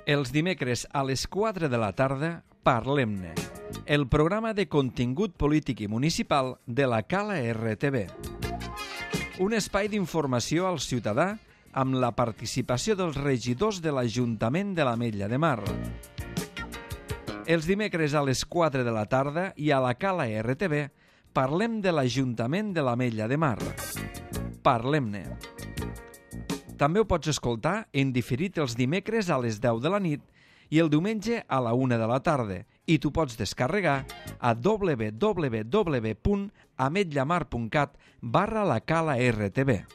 Els dimecres a les 4 de la tarda, Parlem-ne, el programa de contingut polític i municipal de la Cala RTV. Un espai d'informació al ciutadà amb la participació dels regidors de l'Ajuntament de l'Ametlla de Mar. Els dimecres a les 4 de la tarda i a la Cala RTV parlem de l'Ajuntament de l'Ametlla de Mar. Parlem-ne. També ho pots escoltar en diferit els dimecres a les 10 de la nit i el diumenge a la 1 de la tarda i t'ho pots descarregar a www.ametllamar.cat/la Cala RTV.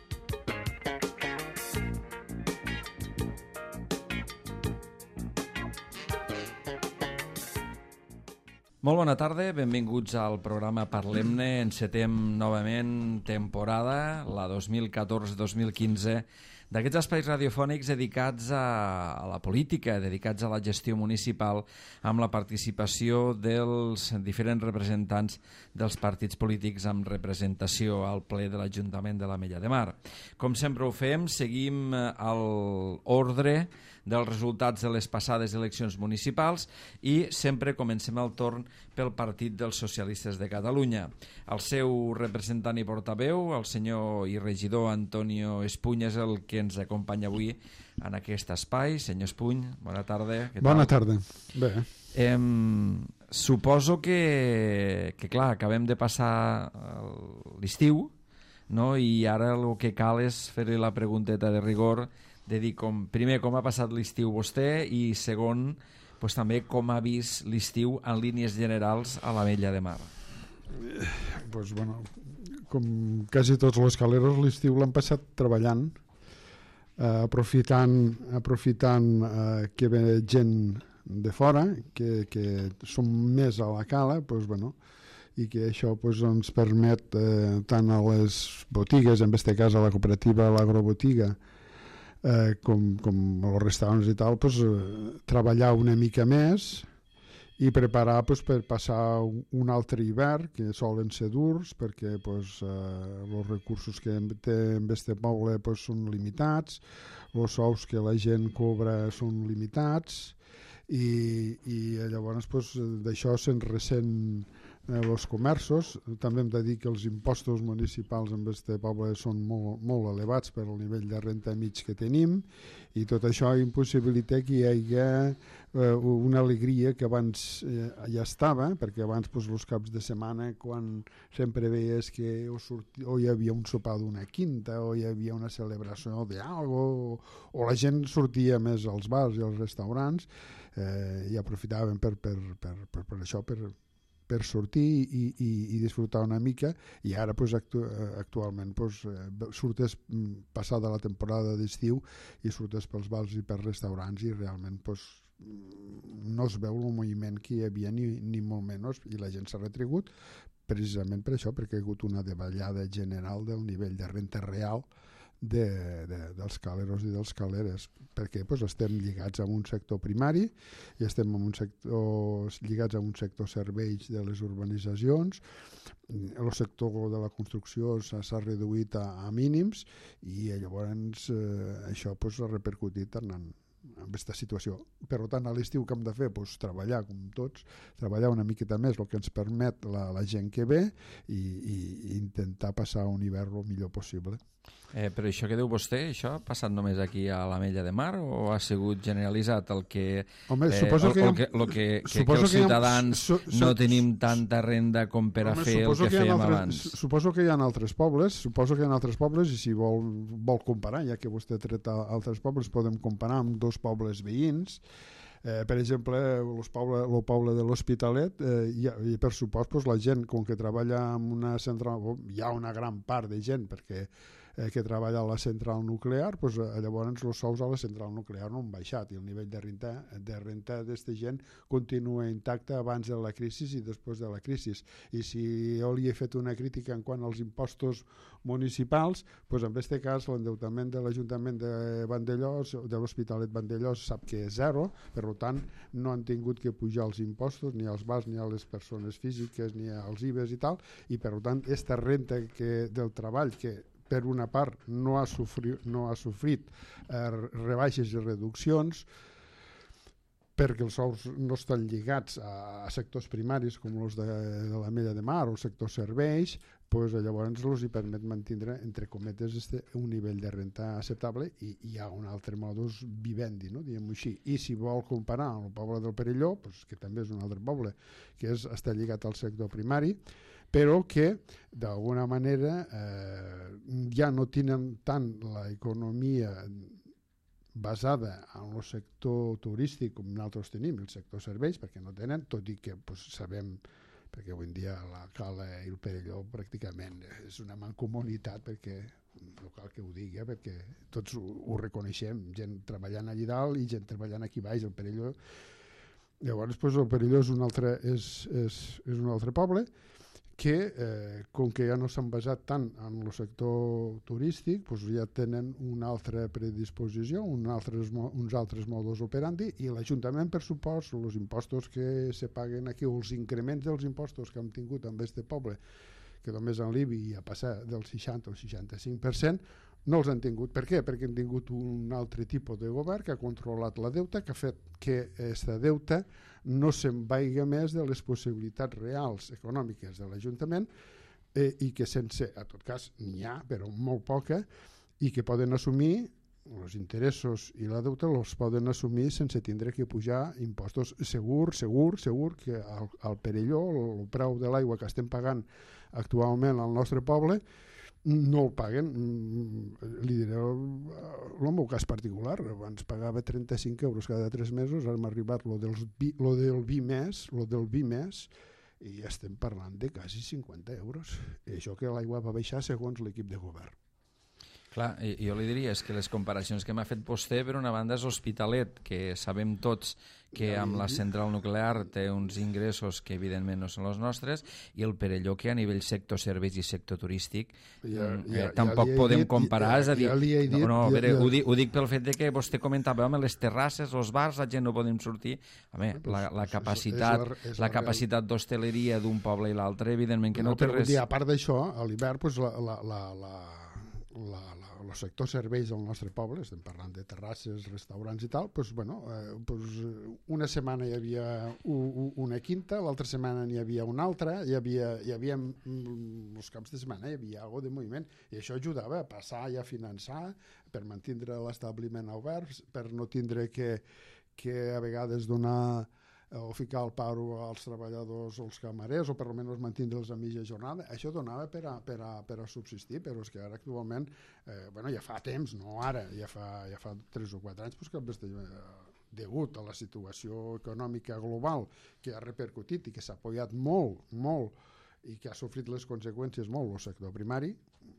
Molt bona tarda, benvinguts al programa Parlem-ne. Encetem novament temporada, la 2014-2015, d'aquests espais radiofònics dedicats a la política, dedicats a la gestió municipal, amb la participació dels diferents representants dels partits polítics amb representació al ple de l'Ajuntament de l'Ametlla de Mar. Com sempre ho fem, seguim l'ordre dels resultats de les passades eleccions municipals i sempre comencem el torn pel Partit dels Socialistes de Catalunya. El seu representant i portaveu, el senyor i regidor Antonio Espuny, és el que ens acompanya avui en aquest espai. Senyor Espuny, bona tarda. Bona tarda. Bé. Suposo que clar, acabem de passar l'estiu, no? I ara el que cal és fer-li la pregunteta de rigor de dir, primer, com ha passat l'estiu vostè i segon, també com ha vist l'estiu en línies generals a l'Ametlla de Mar. Pues bueno, com quasi tots els caleros, l'estiu l'han passat treballant, aprofitant que ve gent de fora, que som més a la cala, i que això ens permet tant a les botigues, en aquest cas a la cooperativa, a l'agrobotiga, com els restaurants i tal, treballar una mica més i preparar per passar un altre hivern, que solen ser durs, perquè els recursos que té en este poble són limitats, els sous que la gent cobra són limitats, i llavors d'això se'n ressent els comerços. També hem de dir que els impostos municipals en aquest poble són molt, molt elevats per al nivell de renta mig que tenim, i tot això impossibilita que hi hagi una alegria que abans ja estava, perquè abans els caps de setmana, quan sempre veies que o hi havia un sopar d'una quinta o hi havia una celebració d'algo, o la gent sortia més als bars i als restaurants, i aprofitaven per això, per sortir i disfrutar una mica, i ara actualment surtes passada la temporada d'estiu i surtes pels bars i pels restaurants i realment no es veu el moviment que hi havia ni molt menys, i la gent s'ha retrigut precisament per això, perquè hi ha hagut una davallada general del nivell de renta real dels caleros i dels caleres, perquè estem lligats a un sector primari i estem lligats a un sector serveis de les urbanitzacions. El sector de la construcció s'ha reduït a mínims, i llavors això ha repercutit en aquesta situació. Per tant, a l'estiu que hem de fer? Treballar, com tots, treballar una miqueta més, el que ens permet la gent que ve, i intentar passar un hivern el millor possible. Però això que diu vostè, això ha passat només aquí a l'Ametlla de Mar o ha sigut generalitzat el que els ciutadans no tenim tanta renda com per a fer el que fèiem abans? Suposo que hi ha altres pobles, i si vol comparar, ja que vostè ha tret altres pobles, podem comparar amb dos pobles veïns. Per exemple, el poble de l'Hospitalet, i per supost la gent, com que treballa en una central, hi ha una gran part de gent que treballa a la central nuclear, llavors els sous a la central nuclear no han baixat, i el nivell de renta d'aquesta gent continua intacte abans de la crisi i després de la crisi. I si jo li he fet una crítica en quant als impostos municipals, en aquest cas l'endeutament de l'Ajuntament de Vandellòs, de l'Hospitalet Vandellòs, sap que és zero, per tant no han tingut que pujar els impostos ni als bars ni a les persones físiques ni als IBEs i tal, i per tant aquesta renta del treball, que per una part no ha sofrit rebaixes i reduccions, perquè els sous no estan lligats a sectors primaris com els de l'Ametlla de Mar o el sector serveis, pues llavors els hi permet mantenir, entre cometes, un nivell de renta acceptable i hi ha un altre modus vivendi, no? Diguem-ho així. I si vol comparar amb el poble del Perelló, pues, que també és un altre poble, que està lligat al sector primari, però que d'alguna manera ja no tenen tant l'economia basada en el sector turístic com nosaltres tenim, el sector serveis, perquè no tenen, tot i que pues, sabem, perquè avui en dia la Cala i el Perelló pràcticament és una mancomunitat, perquè no cal que ho digui, perquè tots ho reconeixem, gent treballant allà dalt i gent treballant aquí baix, el Perelló. Llavors pues, el Perelló és un altre poble que, com que ja no s'han basat tant en el sector turístic, doncs ja tenen una altra predisposició, uns altres modus operandi, i l'Ajuntament, per supost, els impostos que se paguen aquí, o els increments dels impostos que hem tingut en aquest poble, que només en l'IBI ha passat del 60 al 65%, no els han tingut. Per què? Perquè han tingut un altre tipus de govern que ha controlat la deuta, que ha fet que aquesta deuta no se'n vaiga més de les possibilitats reals econòmiques de l'Ajuntament i que sense, a tot cas, n'hi ha, però molt poca, i que poden assumir els interessos i la deuta els poden assumir sense tindre que pujar impostos. Segur que al Perelló, el preu de l'aigua que estem pagant actualment al nostre poble, no el paguen. Li diré el meu cas particular, abans pagava 35 euros cada 3 mesos, ara m'ha arribat lo del vi més, i estem parlant de quasi 50 euros. I això que l'aigua va baixar segons l'equip de govern. Clar, jo li diria és que les comparacions que m'ha fet vostè, per una banda, és l'Hospitalet, que sabem tots que amb la central nuclear té uns ingressos que evidentment no són els nostres, i el Perelló, que a nivell sector serveis i sector turístic tampoc podem comparar. És a dir, ho dic pel fet de que vostè comentava, home, les terrasses, els bars, la gent no podem sortir. Home, la capacitat d'hostaleria d'un poble i l'altre, evidentment que no té res. A part d'això, a l'hivern, el sector serveis del nostre poble, estem parlant de terrasses, restaurants i tal, una setmana hi havia una quinta, l'altra setmana n'hi havia una altra, hi havia els caps de setmana hi havia algo de moviment, i això ajudava a passar i a finançar per mantenir l'establiment obert, per no tindre que a vegades donar o ficar al paro als treballadors o als camarers, o per almenys mantenir-los a mitja jornada. Això donava per a subsistir, però és que ara actualment, ja fa temps, no ara, ja fa 3 o 4 anys, que degut a la situació econòmica global que ha repercutit i que s'ha apoyat molt i que ha sofrit les conseqüències molt el sector primari,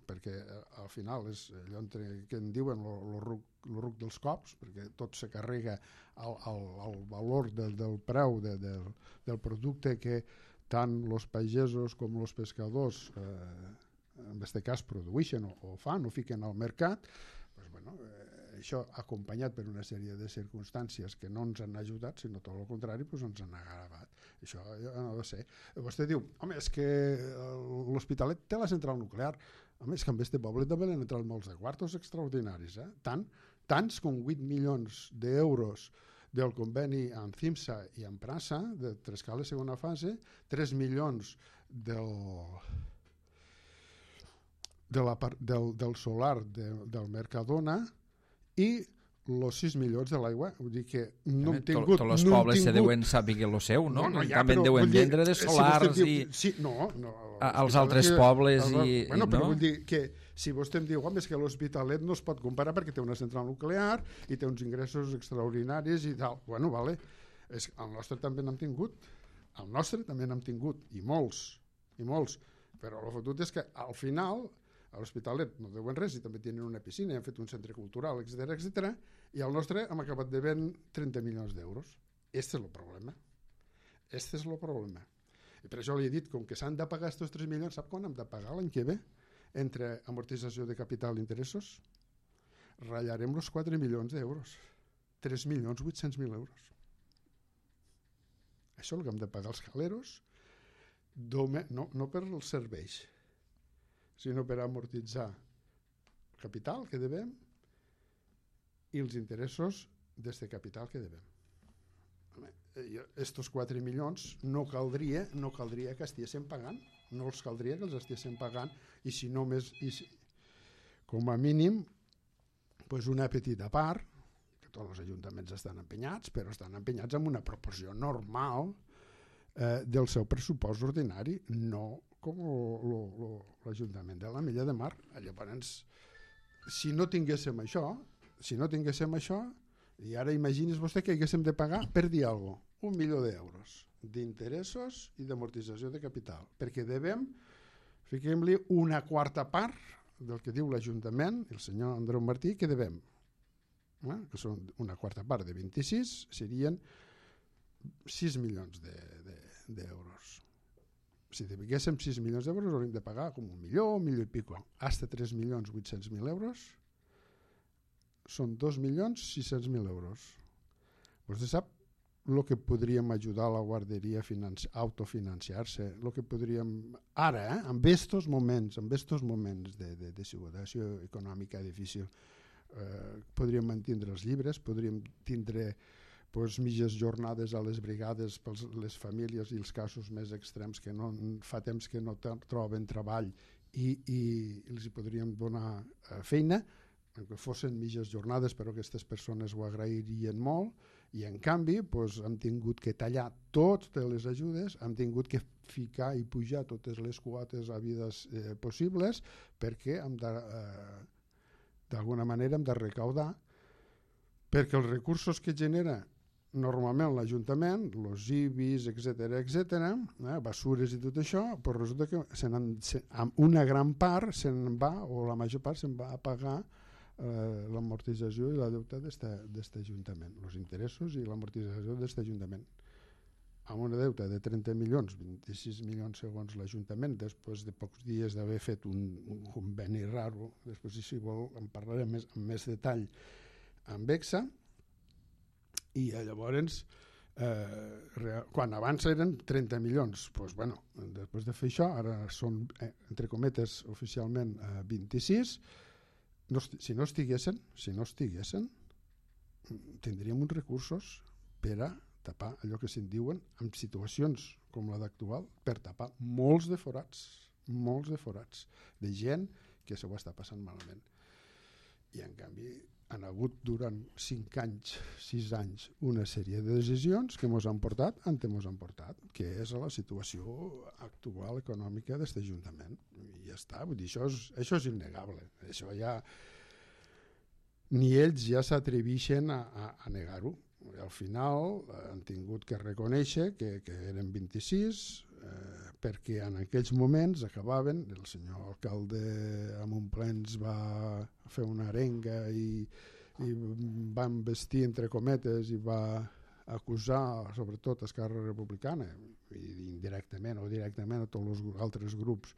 perquè al final és allò que en diuen el ruc dels cops, perquè tot se carrega al valor del preu del producte que tant els pagesos com els pescadors en aquest cas produeixen o fan o fiquen al mercat. Això acompanyat per una sèrie de circumstàncies que no ens han ajudat, sinó tot el contrari, ens han agravat. Això no ha de ser. Vostè diu, home, és que l'Hospitalet té la central nuclear. Home, és que en aquest poble també han entrat molts de quartos extraordinaris, tants com 8 milions d'euros del conveni amb CIMSA i amb Prasa, de Trescala segona fase, 3 milions del solar del Mercadona i els 6 milions de l'aigua. Vull dir que no hem tingut... Tots els pobles se deuen saber el seu, no? També deuen vendre de solars i... als altres pobles i... Però vull dir que si vostè em diu, home, és que l'Hospitalet no es pot comparar perquè té una central nuclear i té uns ingressos extraordinaris i tal. Bueno, vale. El nostre també n'hem tingut. El nostre també n'hem tingut. I molts. Però el fotut és que al final... A l'Hospitalet no deuen res i també tenen una piscina, han fet un centre cultural, etc. I al nostre hem acabat devent 30 milions d'euros. Este és el problema. I per això li he dit, com que s'han de pagar aquests 3 milions, sap quan hem de pagar l'any que ve? Entre amortització de capital i interessos, ratllarem els 4 milions d'euros. 3.800.000 euros. Això és el que hem de pagar els caleros, no per els serveis, sinó per amortitzar el capital que devem i els interessos d'aquest capital que devem. estos 4 milions no caldria que estiguéssim pagant, no els caldria que els estiguéssim pagant, i si no més, com a mínim, pues una petita part, que tots els ajuntaments estan empenyats, però estan empenyats amb una proporció normal del seu pressupost ordinari, no com l'Ajuntament de l'Ametlla de Mar. Llavors, si no tinguéssim això, i ara imagini's vostè que haguéssim de pagar, per dir alguna cosa, 1 milió d'euros d'interessos i d'amortització de capital, perquè devem, fiquem-li, una quarta part del que diu l'Ajuntament, el senyor Andreu Martí, que devem, que són una quarta part de 26, serien 6 milions d'euros. Si deguéssim 6 milions d'euros hauríem de pagar com 1 milió i pico. Hasta 3.800.000 euros són 2.600.000 euros. Vostè sap el que podríem ajudar la guarderia a autofinanciar-se, el que podríem ara, en estos moments de situació econòmica difícil, podríem mantindre els llibres, podríem tindre mitges jornades a les brigades per les famílies i els casos més extrems que fa temps que no troben treball, i els hi podríem donar feina, que fossin mitges jornades, però aquestes persones ho agrairien molt, i en canvi hem tingut que tallar totes les ajudes, hem tingut que ficar i pujar totes les quotes havides possibles, perquè d'alguna manera hem de recaudar, perquè els recursos que genera normalment l'Ajuntament, els IBIs, etc., basures i tot això, però resulta que una gran part se'n va, o la major part se'n va a pagar l'amortització i la deuta d'aquest Ajuntament, els interessos i l'amortització d'aquest Ajuntament. Amb una deuta de 30 milions, 26 milions segons l'Ajuntament, després de pocs dies d'haver fet un conveni raro, després si vol en parlarem amb més detall amb EXA, i llavors quan abans eren 30 milions, després de fer això ara són, entre cometes, oficialment 26. Si no estiguessin, tindríem uns recursos per a tapar allò que se'n diuen, en situacions com la d'actual, per tapar molts de forats de gent que se ho està passant malament. I en canvi han hagut durant 5 anys, 6 anys, una sèrie de decisions que ens han portat on ens han portat, que és la situació actual econòmica d'aquest Ajuntament. I ja està, vull dir, això és innegable. Això ja ni ells ja s'atreveixen a negar-ho. Al final han tingut que reconèixer que eren 26, perquè en aquells moments acabaven, el senyor alcalde amb un plens va fer una arenga i va investir entre cometes i va acusar sobretot Esquerra Republicana i indirectament o directament a tots els altres grups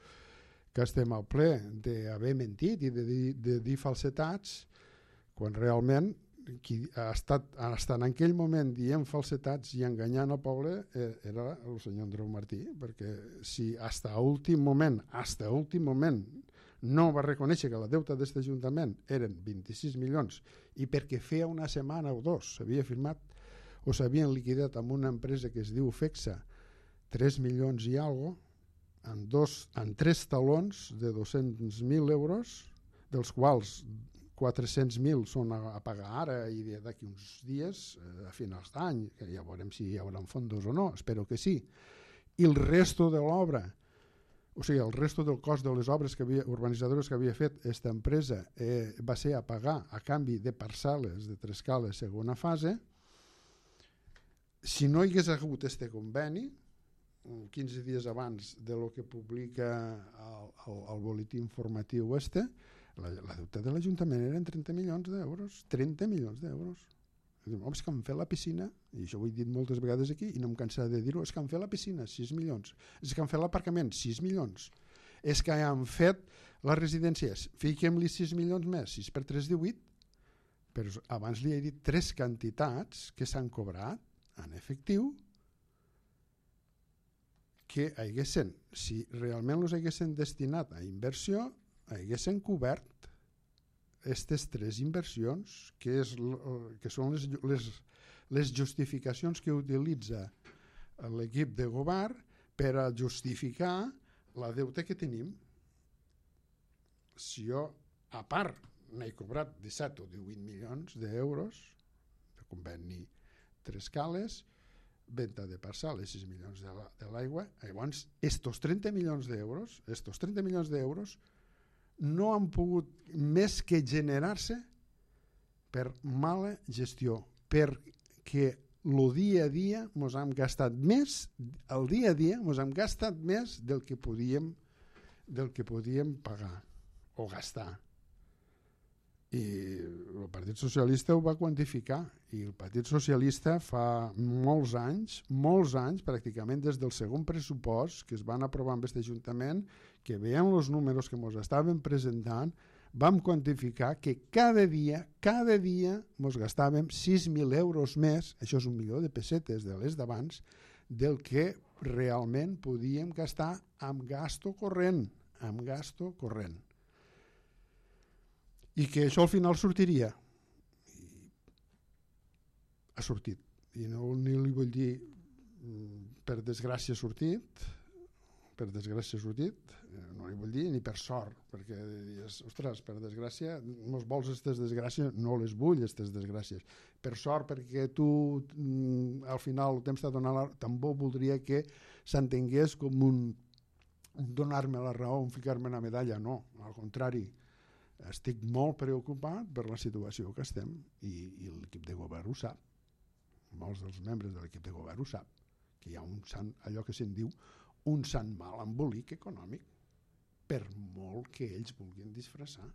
que estem al ple d'haver mentit i de dir falsetats, quan realment qui ha estat en aquell moment dient falsetats i enganyant el poble era el senyor Andreu Martí, perquè si hasta últim moment no va reconèixer que la deuta d'aquest Ajuntament eren 26 milions i perquè feia una setmana o dos s'havia firmat o s'havien liquidat amb una empresa que es diu FEXA 3 milions i alguna cosa en 3 talons de 200.000 euros, dels quals 400.000 són a pagar ara i d'aquí uns dies, a finals d'any, que ja veurem si hi haurà fondos o no, espero que sí. I el resto de l'obra, o sigui, el resto del cost de les obres urbanitzadores que havia fet aquesta empresa va ser a pagar a canvi de parcel·les de Trescales segona fase. Si no hi hagués hagut aquest conveni, 15 dies abans de lo que publica el boletí informatiu la deuta de l'Ajuntament eren 30 milions d'euros. 30 milions d'euros. És que han fet la piscina, i això ho he dit moltes vegades aquí i no em cansaré de dir-ho, és que han fet la piscina, 6 milions. És que han fet l'aparcament, 6 milions. És que han fet les residències, fiquem-li 6 milions més, 6 per 3, 18. Però abans li he dit 3 quantitats que s'han cobrat en efectiu que haguessin, si realment els haguessin destinat a inversió, haguessin cobert aquestes 3 inversions que són les justificacions que utilitza l'equip de govern per a justificar la deuta que tenim. Si jo, a part, n'he cobrat 17 o 18 milions d'euros de conveni 3 cales, venda de parcel·les 6 milions de l'aigua, llavors estos 30 milions d'euros no han pogut més que generar-se per mala gestió, perquè el dia a dia ens hem gastat més, el dia a dia ens hem gastat més del que podíem pagar o gastar. I el Partit Socialista ho va quantificar, i el Partit Socialista fa molts anys, pràcticament des del segon pressupost que es van aprovar amb aquest Ajuntament, que veient els números que ens estaven presentant, vam quantificar que cada dia ens gastàvem 6.000 euros més, això és 1 milió de pessetes de les d'abans, del que realment podíem gastar amb gasto corrent. I que això al final sortiria. Ha sortit. I no ni li vull dir per desgràcia ha sortit, no li vull dir ni per sort, perquè dius, ostres, per desgràcia, mos vols aquestes desgràcies? No les vull, aquestes desgràcies. Per sort, perquè tu al final temps de donar també voldria que s'entengués com un donar-me la raó, un ficar-me una medalla. No, al contrari. Estic molt preocupat per la situació que estem i l'equip de govern ho sap. Molts dels membres de l'equip de govern ho sap, que hi ha allò que se'n diu un sant mal embolic econòmic, per molt que ells vulguin disfressar,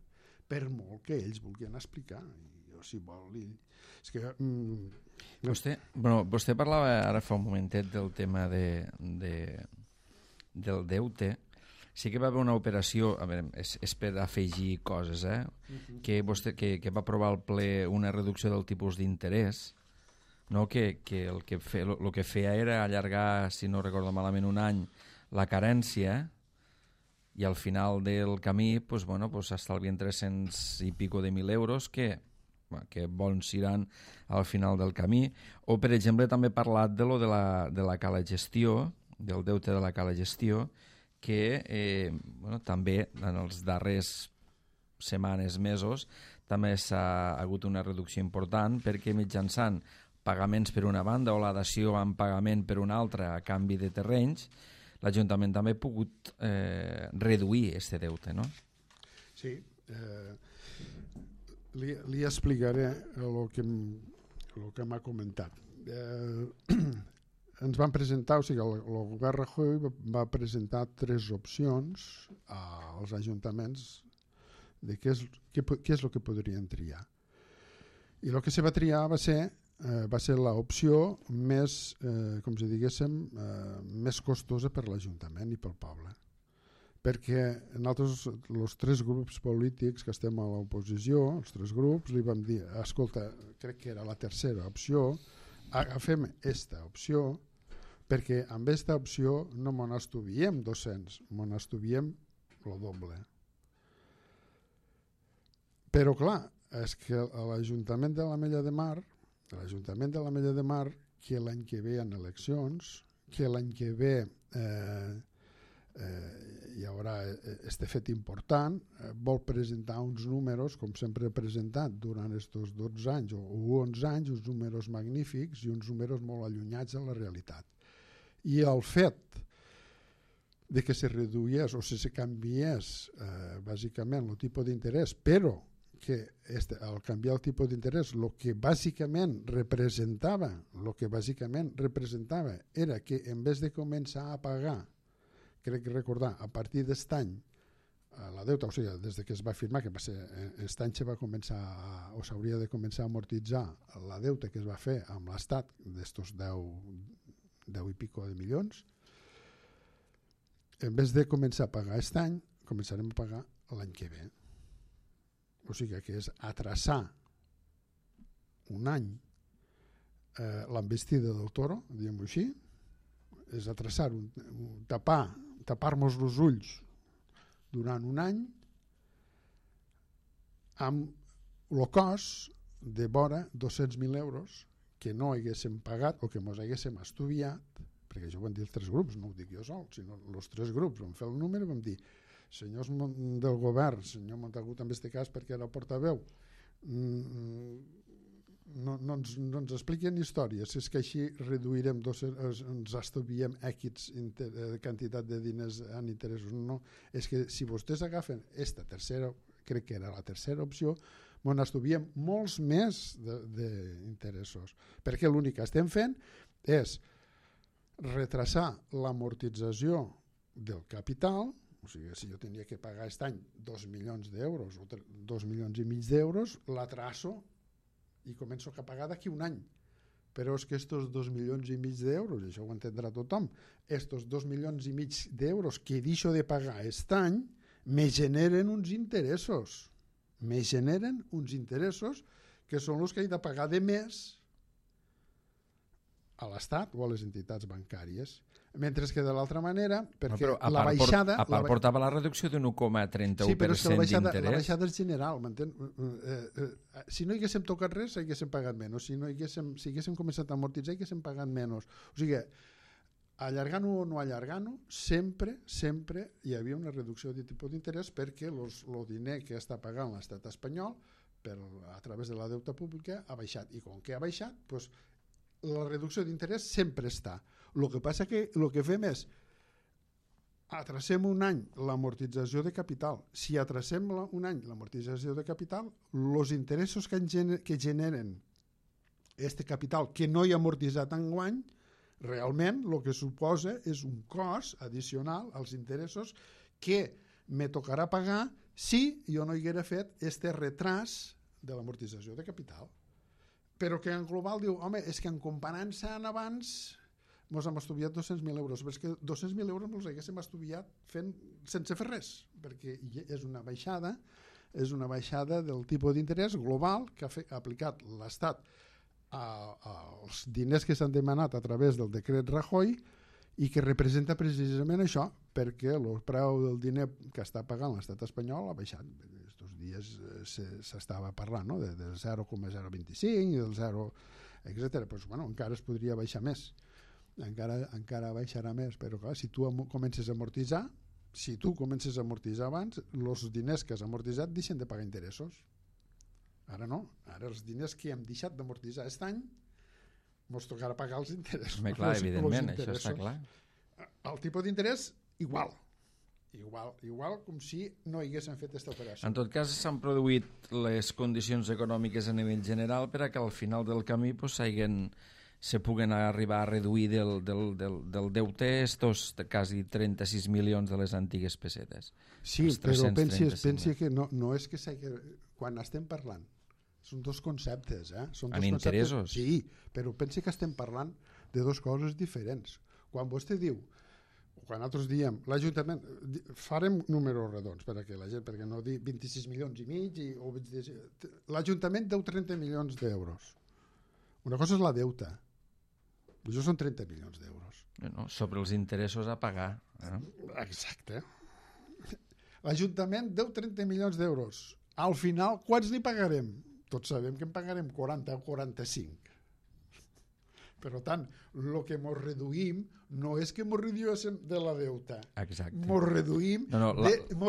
per molt que ells vulguin explicar. I jo, si vol... És que... Vostè parlava ara fa un momentet del tema del deute. Sí que va haver una operació, a veure, és per afegir coses, que va aprovar al ple una reducció del tipus d'interès, no? que el que feia era allargar, si no recordo malament, un any la carència, i al final del camí s'estalvien 300 i pico de 1.000 euros que bons seran al final del camí. O, per exemple, també he parlat de la cala gestió, del deute de la cala gestió, que també en els darrers setmanes, mesos, també s'ha hagut una reducció important, perquè mitjançant pagaments per una banda o la dació en pagament per una altra a canvi de terrenys, l'Ajuntament també ha pogut reduir aquest deute, no? Sí, li explicaré el que m'ha comentat. Ens van presentar, o sigui, el govern Rajoy va presentar 3 opcions als ajuntaments de què és el que podrien triar. I el que se va triar va ser l'opció més, com si diguéssim, més costosa per l'Ajuntament i pel poble. Perquè nosaltres, els 3 grups polítics que estem a l'oposició, els 3 grups, li vam dir, escolta, crec que era la tercera opció, agafem aquesta opció, perquè amb aquesta opció no m'on estuviem 200, m'on estuviem el doble. Però clar, és que l'Ajuntament de l'Ametlla de Mar, que l'any que ve hi ha eleccions, que l'any que ve hi haurà este fet important, vol presentar uns números, com sempre ha presentat durant aquests 12 anys o 11 anys, uns números magnífics i uns números molt allunyats de la realitat. I el fet de que se reduïés o se canviés bàsicament el tipus d'interès, però que al canviar el tipus d'interès el que bàsicament representava era que en vez de començar a pagar, crec recordar, a partir d'aquest any la deuta, o sigui, des que es va firmar, que va ser aquest any se va començar o s'hauria de començar a amortitzar la deuta que es va fer amb l'Estat d'estos 10 i pico de milions, en vez de començar a pagar aquest any, començarem a pagar l'any que ve. O sigui que és atrasar un any l'envestida del toro, diguem-ho així, és atrasar, tapar-nos els ulls durant un any amb el cost de vora 200.000 euros que no haguéssim pagat o que ens haguéssim estudiat, perquè això ho van dir els 3 grups, no ho dic jo sol, sinó els 3 grups, vam fer el número i vam dir, senyors del govern, senyor Montagut en aquest cas perquè era portaveu, no ens expliquen històries, és que així reduirem, ens estuviem X quantitat de diners en interessos. No, és que si vostès agafen esta tercera, crec que era la tercera opció, ens estuviem molts més d'interessos, perquè l'únic que estem fent és retrasar l'amortització del capital. O sigui, si jo tenia que pagar aquest any 2 milions d'euros o 2 milions i mig d'euros, la traço i començo a pagar d'aquí un any. Però és que estos 2 milions i mig d'euros, i això ho entendrà tothom, estos 2 milions i mig d'euros que deixo de pagar aquest any me generen uns interessos. Me generen uns interessos que són els que he de pagar de més a l'Estat o a les entitats bancàries. Mentre que de l'altra manera, perquè la baixada... A part portava la reducció d'un 1,31% sí, però és que d'interès. La baixada és general, m'entén? Si no haguéssim tocat res, haguéssim pagat menys. Si haguéssim començat a amortitzar, haguéssim pagat menys. O sigui, allargant-ho o no allargant-ho, sempre hi havia una reducció de tipus d'interès perquè el diner que està pagant l'estat espanyol a través de la deuta pública ha baixat. I com que ha baixat, doncs, la reducció d'interès sempre està. El que passa que el que fem és atracem un any l'amortització de capital. Si atracem un any l'amortització de capital, els interessos que generen aquest capital que no hi ha amortitzat enguany, realment el que suposa és un cost addicional als interessos que me tocarà pagar si jo no haguera fet aquest retras de l'amortització de capital. Però que en global diu, home, és que en comparant-se en abans ens hem estudiat 200.000 euros, però és que 200.000 euros ens haguéssim estudiat sense fer res, perquè és una baixada del tipus d'interès global que ha aplicat l'Estat als diners que s'han demanat a través del decret Rajoy i que representa precisament això, perquè el preu del diner que està pagant l'estat espanyol ha baixat. Estos dies s'estava parlant, no? Del 0,025 i del 0, etc. Pues, bueno, encara es podria baixar més. Encara baixarà més, però clar, si tu comences a amortitzar, abans, els diners que has amortitzat deixen de pagar interessos. Ara no, ara els diners que hem deixat d'amortitzar aquest any ens tocarà pagar els interessos. Home, clar, evidentment, això està clar. El tipus d'interès, igual com si no haguéssim fet aquesta operació. En tot cas, s'han produït les condicions econòmiques a nivell general per a que al final del camí se puguen arribar a reduir del deute estos quasi 36 milions de les antigues pessetes. Sí, però pensi que no és que quan estem parlant, són dos conceptes. En interessos? Sí, però pensi que estem parlant de dues coses diferents. Quan vostè diu, quan nosaltres diem, l'Ajuntament, farem números redons perquè no dir 26 milions i mig, l'Ajuntament deu 30 milions d'euros. Una cosa és la deuta, això són 30 milions d'euros. No, sobre els interessos a pagar. Exacte. L'Ajuntament deu 30 milions d'euros. Al final, quants n'hi pagarem? Tots sabem que en pagarem 40 o 45. Per tant, el que ens reduïm no és que ens reduïm de la deuta. Exacte. Ens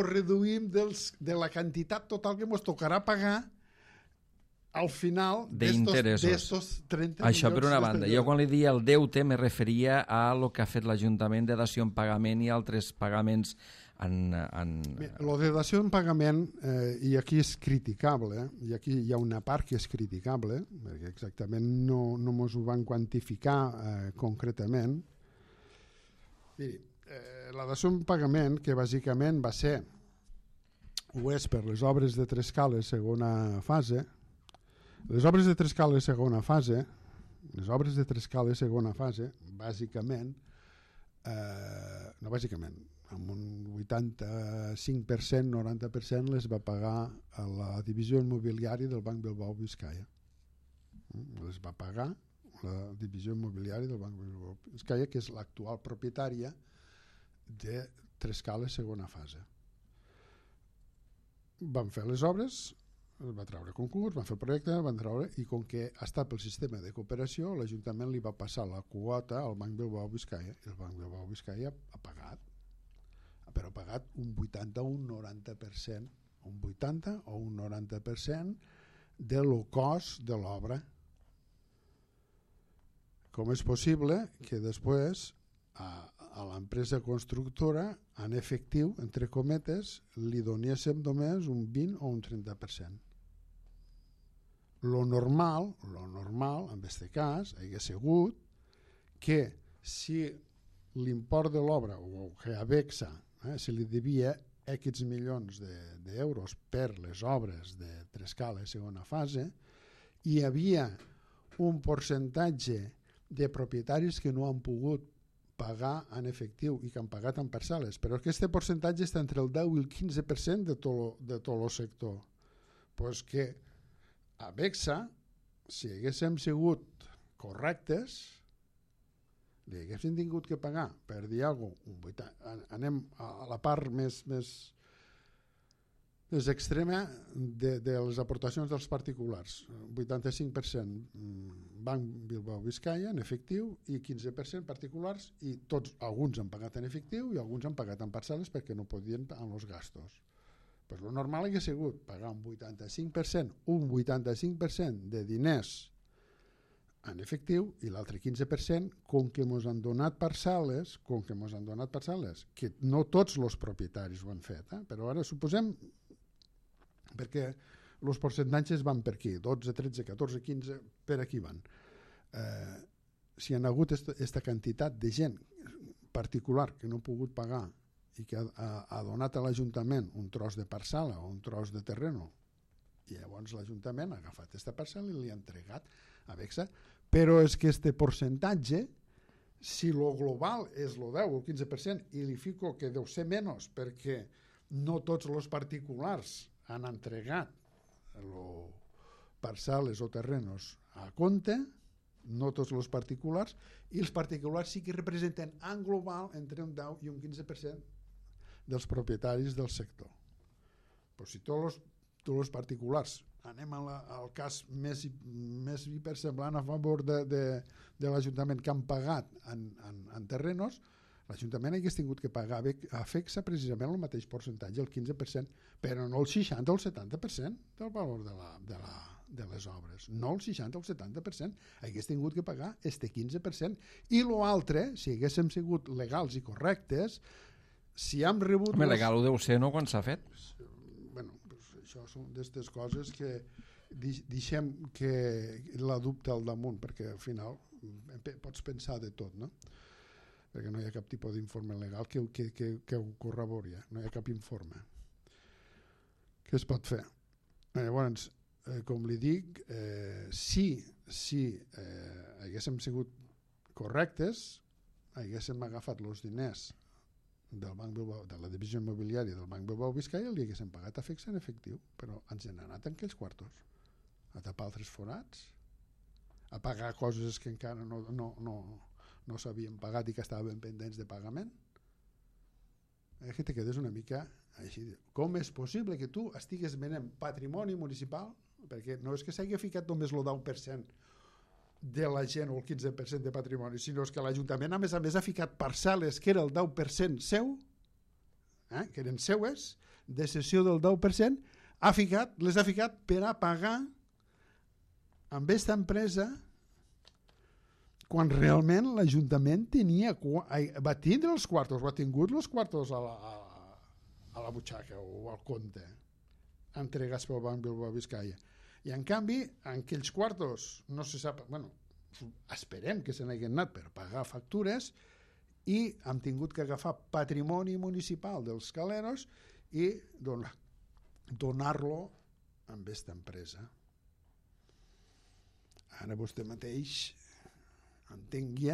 reduïm de la quantitat total que ens tocarà pagar al final d'estos 30 milions. Això per una banda. Jo quan li dia el deute me referia a lo que ha fet l'Ajuntament de dació en pagament i altres pagaments Lo de dació en pagament, i aquí és criticable, i aquí hi ha una part que és criticable, perquè exactament no ens ho van quantificar concretament. Miri, la dació en pagament, que bàsicament va ser, ho és per les obres de Trescales segona fase, les obres de Trescales segona fase, bàsicament, amb un 85%, 90% les va pagar a la divisió immobiliària del Banc Bilbao Vizcaya. Les va pagar la divisió immobiliària del Banc Bilbao Vizcaya, que és l'actual propietària de Trescales segona fase. Van fer les obres, es va treure concurs, van fer el projecte, van treure, i com que ha estat pel sistema de cooperació, l'Ajuntament li va passar la quota al Banc Bilbao Vizcaya, i el Banc Bilbao Vizcaya ha pagat, però ha pagat un 80 o un 90%, un 80 o un 90% del cost de l'obra. Com és possible que després a l'empresa constructora en efectiu, entre cometes, li donéssim només un 20 o un 30%. Lo normal, en aquest cas, hagués sigut que si l'import de l'obra, o que a Bexa se li devia X milions d'euros per les obres de Trescala segona fase, hi havia un percentatge de propietaris que no han pogut pagar en efectiu i que han pagat en parcel·les, però aquest percentatge està entre el 10 i el 15% de tot el sector. Pues que a Bexa, si haguéssim sigut correctes, li haguéssim tingut que pagar, per dir alguna cosa, anem a la part més extrema de les aportacions dels particulars. 85% Banc Bilbao Vizcaya en efectiu i 15% particulars, i alguns han pagat en efectiu i alguns han pagat en parcel·les perquè no podien amb els gastos. Pues lo normal hauria sigut pagar un 85% de diners en efectiu i l'altre 15% com que ens han donat parcel·les, que no tots els propietaris ho han fet, però ara suposem, perquè els percentatges van per aquí, 12, 13, 14, 15, per aquí van. Si hi ha hagut aquesta quantitat de gent particular que no ha pogut pagar i que ha donat a l'Ajuntament un tros de parcel·la o un tros de terreno, i llavors l'Ajuntament ha agafat aquesta parcel·la i li ha entregat a Bexa, però és que aquest percentatge, si lo global és el 10 o el 15% i li fico que deu ser menys perquè no tots els particulars han entregat parcel·les o terrenos a compte, no tots els particulars, i els particulars sí que representen en global entre un 10 i un 15% dels propietaris del sector. Però si tots els particulars, anem al cas més hipersemblant a favor de l'Ajuntament, que han pagat en terrenos, l'Ajuntament hagués tingut que pagar a Fexa precisament el mateix percentatge, el 15%, però no el 60 o el 70% del valor de les obres. No el 60 o el 70%. Hagués tingut que pagar este 15%. I l'altre, si haguéssim sigut legals i correctes, si hem rebut... Home, legal ho deu ser, no?, quan s'ha fet. Bueno, pues això són d'aquestes coses que deixem que la dubte al damunt, perquè al final pots pensar de tot, no? Perquè no hi ha cap tipus d'informe legal que ho corrobori, no hi ha cap informe. Què es pot fer? Llavors, com li dic, si haguéssim sigut correctes, haguéssim agafat els diners del Banc Bilbao, de la divisió immobiliària del Banc Bilbao Vizcaya, li haguéssim pagat a Fexa en efectiu, però ens han anat en aquells quartos a tapar altres forats, a pagar coses que encara no s'havien pagat i que estaven pendents de pagament. Que te quedes una mica així. Com és possible que tu estigues venent patrimoni municipal, perquè no és que s'hagi ficat només el 10% de la gent o el 15% de patrimoni, sinó que l'Ajuntament a més ha ficat parcel·les que era el 10% seu, que eren seues, de cessió del 10%, les ha ficat per a pagar amb aquesta empresa, quan realment l'Ajuntament va tindre els quartos, ha tingut els quartos a la butxaca o al compte entregats pel Banc Bilbao Vizcaya. I en canvi, en aquells quartos no se sap, bueno, esperem que se n'hagin anat per pagar factures i hem tingut que agafar patrimoni municipal dels caleros i donar-lo a aquesta empresa. Ara vostè mateix entengui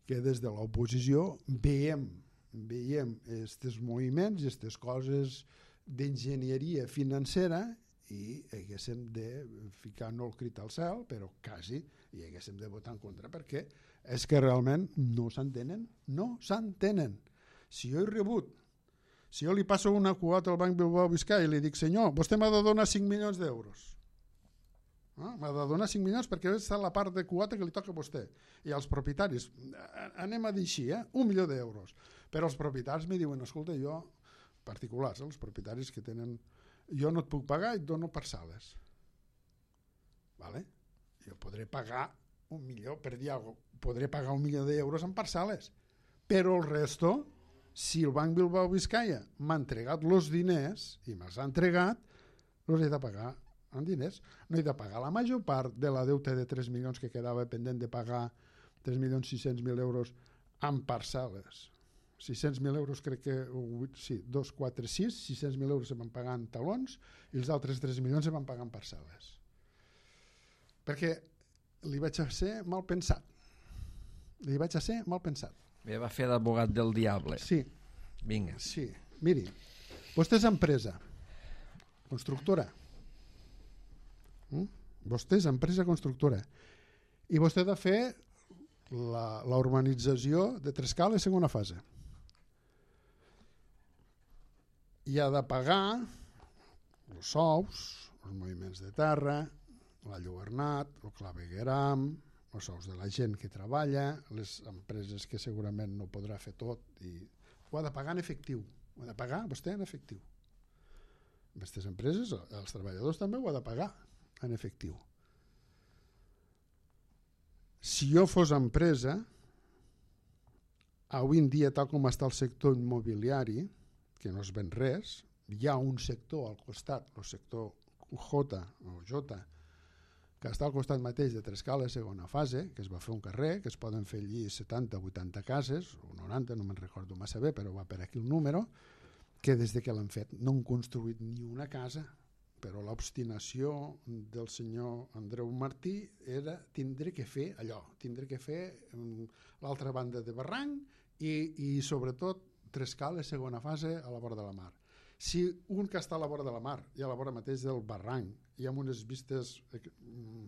que des de l'oposició veiem aquests moviments i aquestes coses d'enginyeria financera i haguéssim de ficar no el crit al cel, però quasi, i haguéssim de votar en contra, perquè és que realment no s'entenen. Si jo he rebut, Si jo li passo una quota al Banc Bilbao Biscay i li dic, senyor, vostè m'ha de donar 5 milions d'euros. M'ha de donar 5 milions perquè és la part de quota que li toca a vostè. I als propietaris, anem a dir així, 1 milió d'euros. Però els propietaris me diuen, escolta, jo, particulars, els propietaris que tenen, jo no et puc pagar i et dono parcel·les. Vale? Jo podré pagar 1 milió, per dir alguna cosa, podré pagar 1 milió d'euros en parcel·les. Però el resto, si el Banc Bilbao Biscaya m'ha entregat els diners, i me'ls ha entregat, els he de pagar en diners. No he de pagar la major part de la deuta de 3 milions que quedava pendent de pagar 3.600.000 euros en parcel·les. 600.000 euros crec que, sí, 2, 4, 6, 600.000 euros se van pagar en talons i els altres 3 milions se van pagar en parcel·les. Perquè li vaig a ser mal pensat. Li vaig a ser mal pensat. Bé, va fer d'advogat del diable. Sí. Vinga. Sí. Miri, vostè és empresa constructora. Vostè és empresa constructora. I vostè ha de fer la urbanització de Trescales segona fase. I ha de pagar els sous, els moviments de terra, la Lluernat, el clavegueram, els sous de la gent que treballa, les empreses que segurament no podrà fer tot, i ho ha de pagar en efectiu. Ho ha de pagar vostè en efectiu. Aquestes empreses, els treballadors també ho ha de pagar en efectiu. Si jo fos empresa, avui en dia, tal com està el sector immobiliari, que no es ven res, hi ha un sector al costat, el sector J, que està al costat mateix de Trescales segona fase, que es va fer un carrer, que es poden fer allí 70 o 80 cases, o 90, no me'n recordo massa bé, però va per aquí el número, que des de que l'han fet no han construït ni una casa, però l'obstinació del senyor Andreu Martí era tindre que fer allò, tindre que fer l'altra banda de barranc i sobretot Trescales segona fase a la vora de la mar. Si un que està a la vora de la mar i a la vora mateix del barranc i amb unes vistes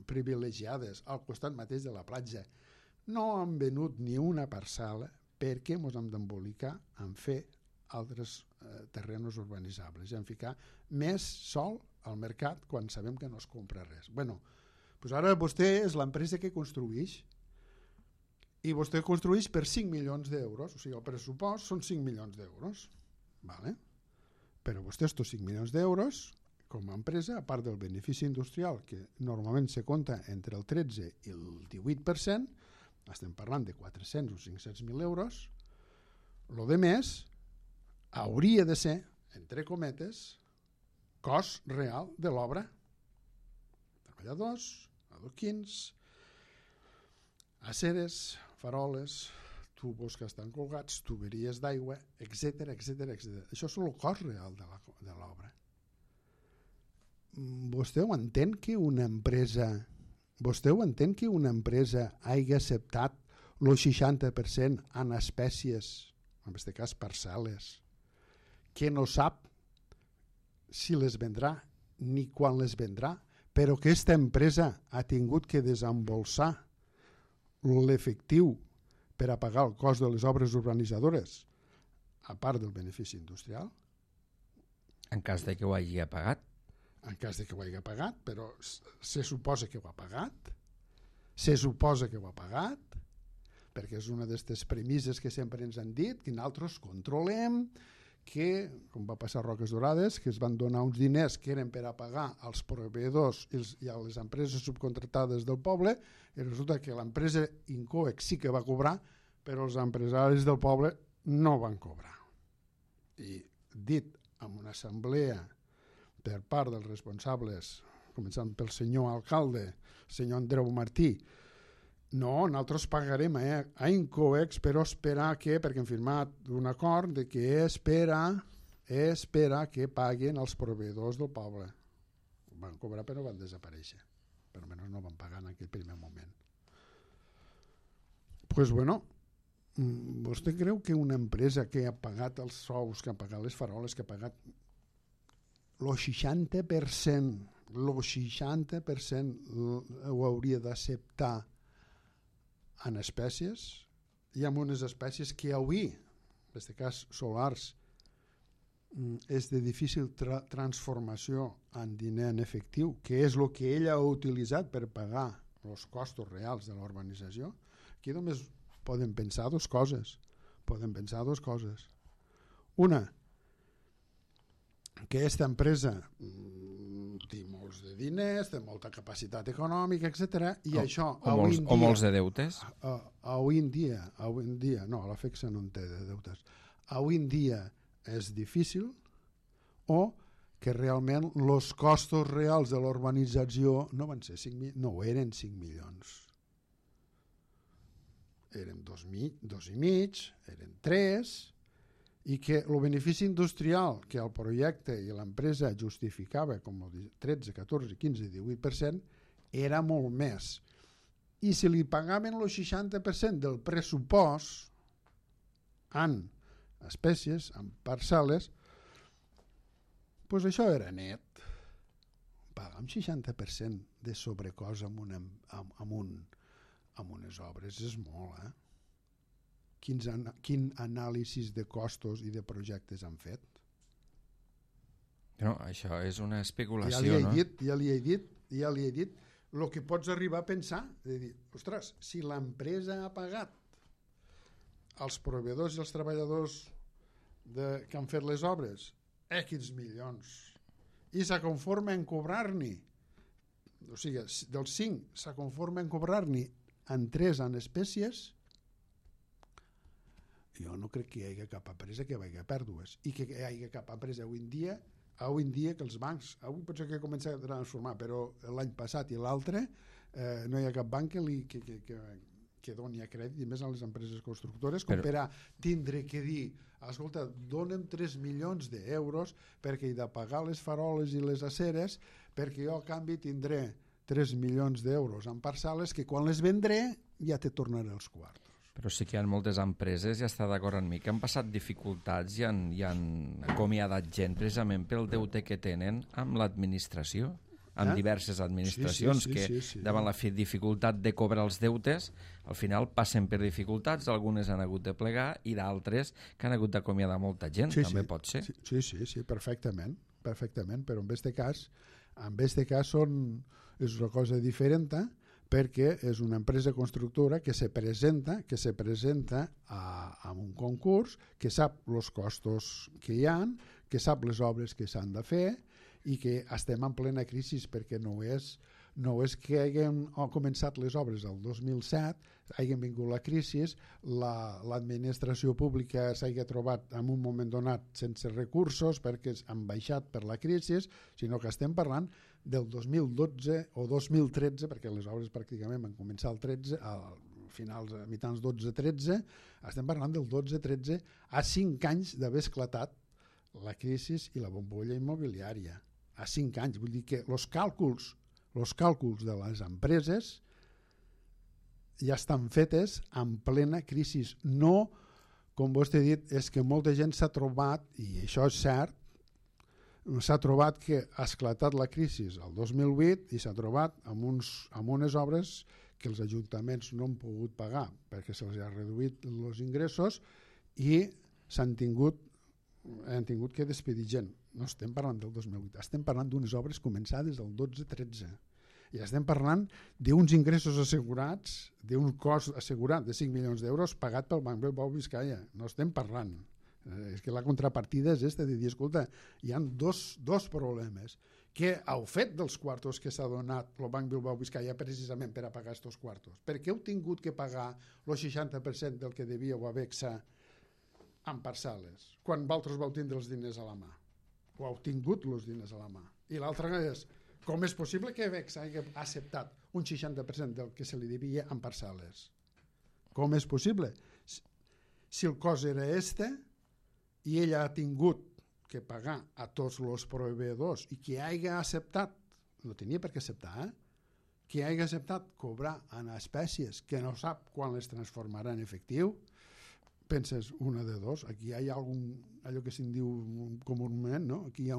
privilegiades al costat mateix de la platja no han venut ni una parcel·la, per què ens hem d'embolicar en fer altres terrenos urbanitzables i en ficar més sol al mercat quan sabem que no es compra res? Bueno, doncs ara vostè és l'empresa que construeix i vostè construeix per 5 milions d'euros, o sigui, el pressupost són 5 milions d'euros, vale? Però vostè estos 5 milions d'euros com a empresa, a part del benefici industrial que normalment se compta entre el 13 i el 18%, estem parlant de 400 o 500.000 euros, el de més hauria de ser, entre cometes, cost real de l'obra. Treballadors, adoquins, aceres, faroles, tubos que estan colgats, tuberies d'aigua, etc. Això és el cost real de l'obra. Vostè ho entén que una empresa hagi acceptat el 60% en espècies, en aquest cas parcel·les, que no sap si les vendrà ni quan les vendrà, però que aquesta empresa ha tingut que desembolsar l'efectiu per a pagar el cost de les obres urbanitzadores, a part del benefici industrial? En cas de que ho hagi pagat. En cas de que ho hagi pagat, però se suposa que ho ha pagat. Se suposa que ho ha pagat, perquè és una d'aquestes premisses que sempre ens han dit, que nosaltres controlem, que, com va passar a Roques Dorades, que es van donar uns diners que eren per a pagar als proveïdors i a les empreses subcontractades del poble, i resulta que l'empresa Incoex sí que va cobrar, però els empresaris del poble no van cobrar. I dit en una assemblea per part dels responsables, començant pel senyor alcalde, senyor Andreu Martí, no, nosaltres pagarem a Incoex, però esperar que, perquè hem firmat un acord de que espera que paguen els proveïdors del poble. Van cobrar però van desaparèixer. Per almenys no van pagar en aquell primer moment. Pues bueno, vostè creu que una empresa que ha pagat els sous, que ha pagat les faroles, que ha pagat el 60% ho hauria d'acceptar en espècies? Hi ha unes espècies que avui, en aquest cas solars, és de difícil transformació en diner en efectiu, que és el que ell ha utilitzat per pagar els costos reals de l'urbanització, aquí només poden pensar dues coses. Una, que aquesta empresa té molts de diners, té molta capacitat econòmica, etc. I això o molts de deutes. Avui en dia, no, la FECSA no en té de deutes. Avui en dia és difícil, o que realment els costos reals de l'urbanització no van ser 5 no eren 5 milions. Eren 2,5, eren 3, i que el benefici industrial que el projecte i l'empresa justificava com el 13, 14, 15, 18% era molt més. I si li pagaven el 60% del pressupost en espècies, en parcel·les, doncs això era net. Pagar un 60% de sobrecost amb unes obres és molt, eh? Quin anàlisi de costos i de projectes han fet? No, això és una especulació, no? Ja li he dit el que pots arribar a pensar, de dir, ostres, si l'empresa ha pagat als proveïdors i als treballadors que han fet les obres X milions i se conforma en cobrar-n'hi, o sigui, dels 5 se conforma en cobrar-n'hi en 3 en espècies, jo no crec que hi hagi cap empresa que vagi a pèrdues, i que hi hagi cap empresa avui en dia que els bancs, avui potser que comença a transformar, però l'any passat i l'altre no hi ha cap banc que doni a crèdit, i més a les empreses constructores, com per a tindre que dir, escolta, dona'm 3 milions d'euros perquè he de pagar les faroles i les aceres, perquè jo a canvi tindré 3 milions d'euros en parcel·les que quan les vendré ja te tornaré els quartos. Però sí que hi ha moltes empreses, ja està d'acord amb mi, que han passat dificultats i han acomiadat gent precisament pel deute que tenen amb l'administració, amb diverses administracions que davant la dificultat de cobrar els deutes, al final passen per dificultats, algunes han hagut de plegar i d'altres que han hagut d'acomiadar molta gent, també pot ser. Sí, perfectament, però en aquest cas és una cosa diferent, perquè és una empresa constructora que se presenta a un concurs, que sap els costos que hi ha, que sap les obres que s'han de fer, i que estem en plena crisi, perquè no és que haguem començat les obres el 2007, hagin vingut la crisi, l'administració pública s'hagi trobat en un moment donat sense recursos perquè han baixat per la crisi, sinó que estem parlant del 2012 o 2013, perquè les obres pràcticament van començar al 13, a mitjans 12-13, estem parlant del 12-13, a 5 anys d'haver esclatat la crisi i la bombolla immobiliària. A 5 anys, vull dir que els càlculs de les empreses ja estan fetes en plena crisi. No, com vostè ha dit, és que molta gent s'ha trobat, i això és cert, s'ha trobat que ha esclatat la crisi el 2008 i s'ha trobat amb unes obres que els ajuntaments no han pogut pagar perquè se'ls ha reduït els ingressos i han tingut que despedir gent. No estem parlant del 2008, estem parlant d'unes obres començades el 12-13 i estem parlant d'uns ingressos assegurats, d'un cost assegurat de 5 milions d'euros pagat pel Banc Bilbao Vizcaya. No estem parlant. És que la contrapartida és de dir, escolta, hi ha dos problemes, que heu fet dels quartos que s'ha donat el Banc Bilbao Vizcaya precisament per a pagar aquests quartos. Per què heu tingut que pagar el 60% del que devíeu a Vexa en parcel·les, quan vosaltres vau tindre els diners a la mà? O heu tingut els diners a la mà? I l'altra és, com és possible que Vexa hagi acceptat un 60% del que se li devia en parcel·les? Com és possible? Si el cost era i ella ha tingut que pagar a tots els proveïdors i que hagi acceptat, no tenia per què acceptar, que hagi acceptat cobrar en espècies que no sap quan les transformarà en efectiu, penses una de dos, aquí hi ha allò que se'n diu comúment, no? Aquí hi ha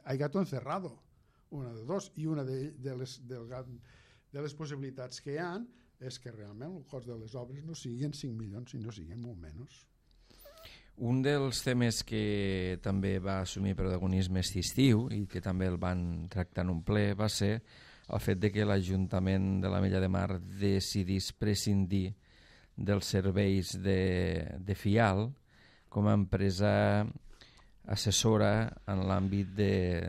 hay gato encerrado, una de dos, i una de les possibilitats que hi ha és que realment el cost de les obres no siguin 5 milions, sinó siguin molt menys. Un dels temes que també va assumir protagonisme aquest estiu i que també el van tractar en un ple va ser el fet de que l'Ajuntament de l'Ametlla de Mar decidís prescindir dels serveis de FIAL com a empresa assessora en l'àmbit de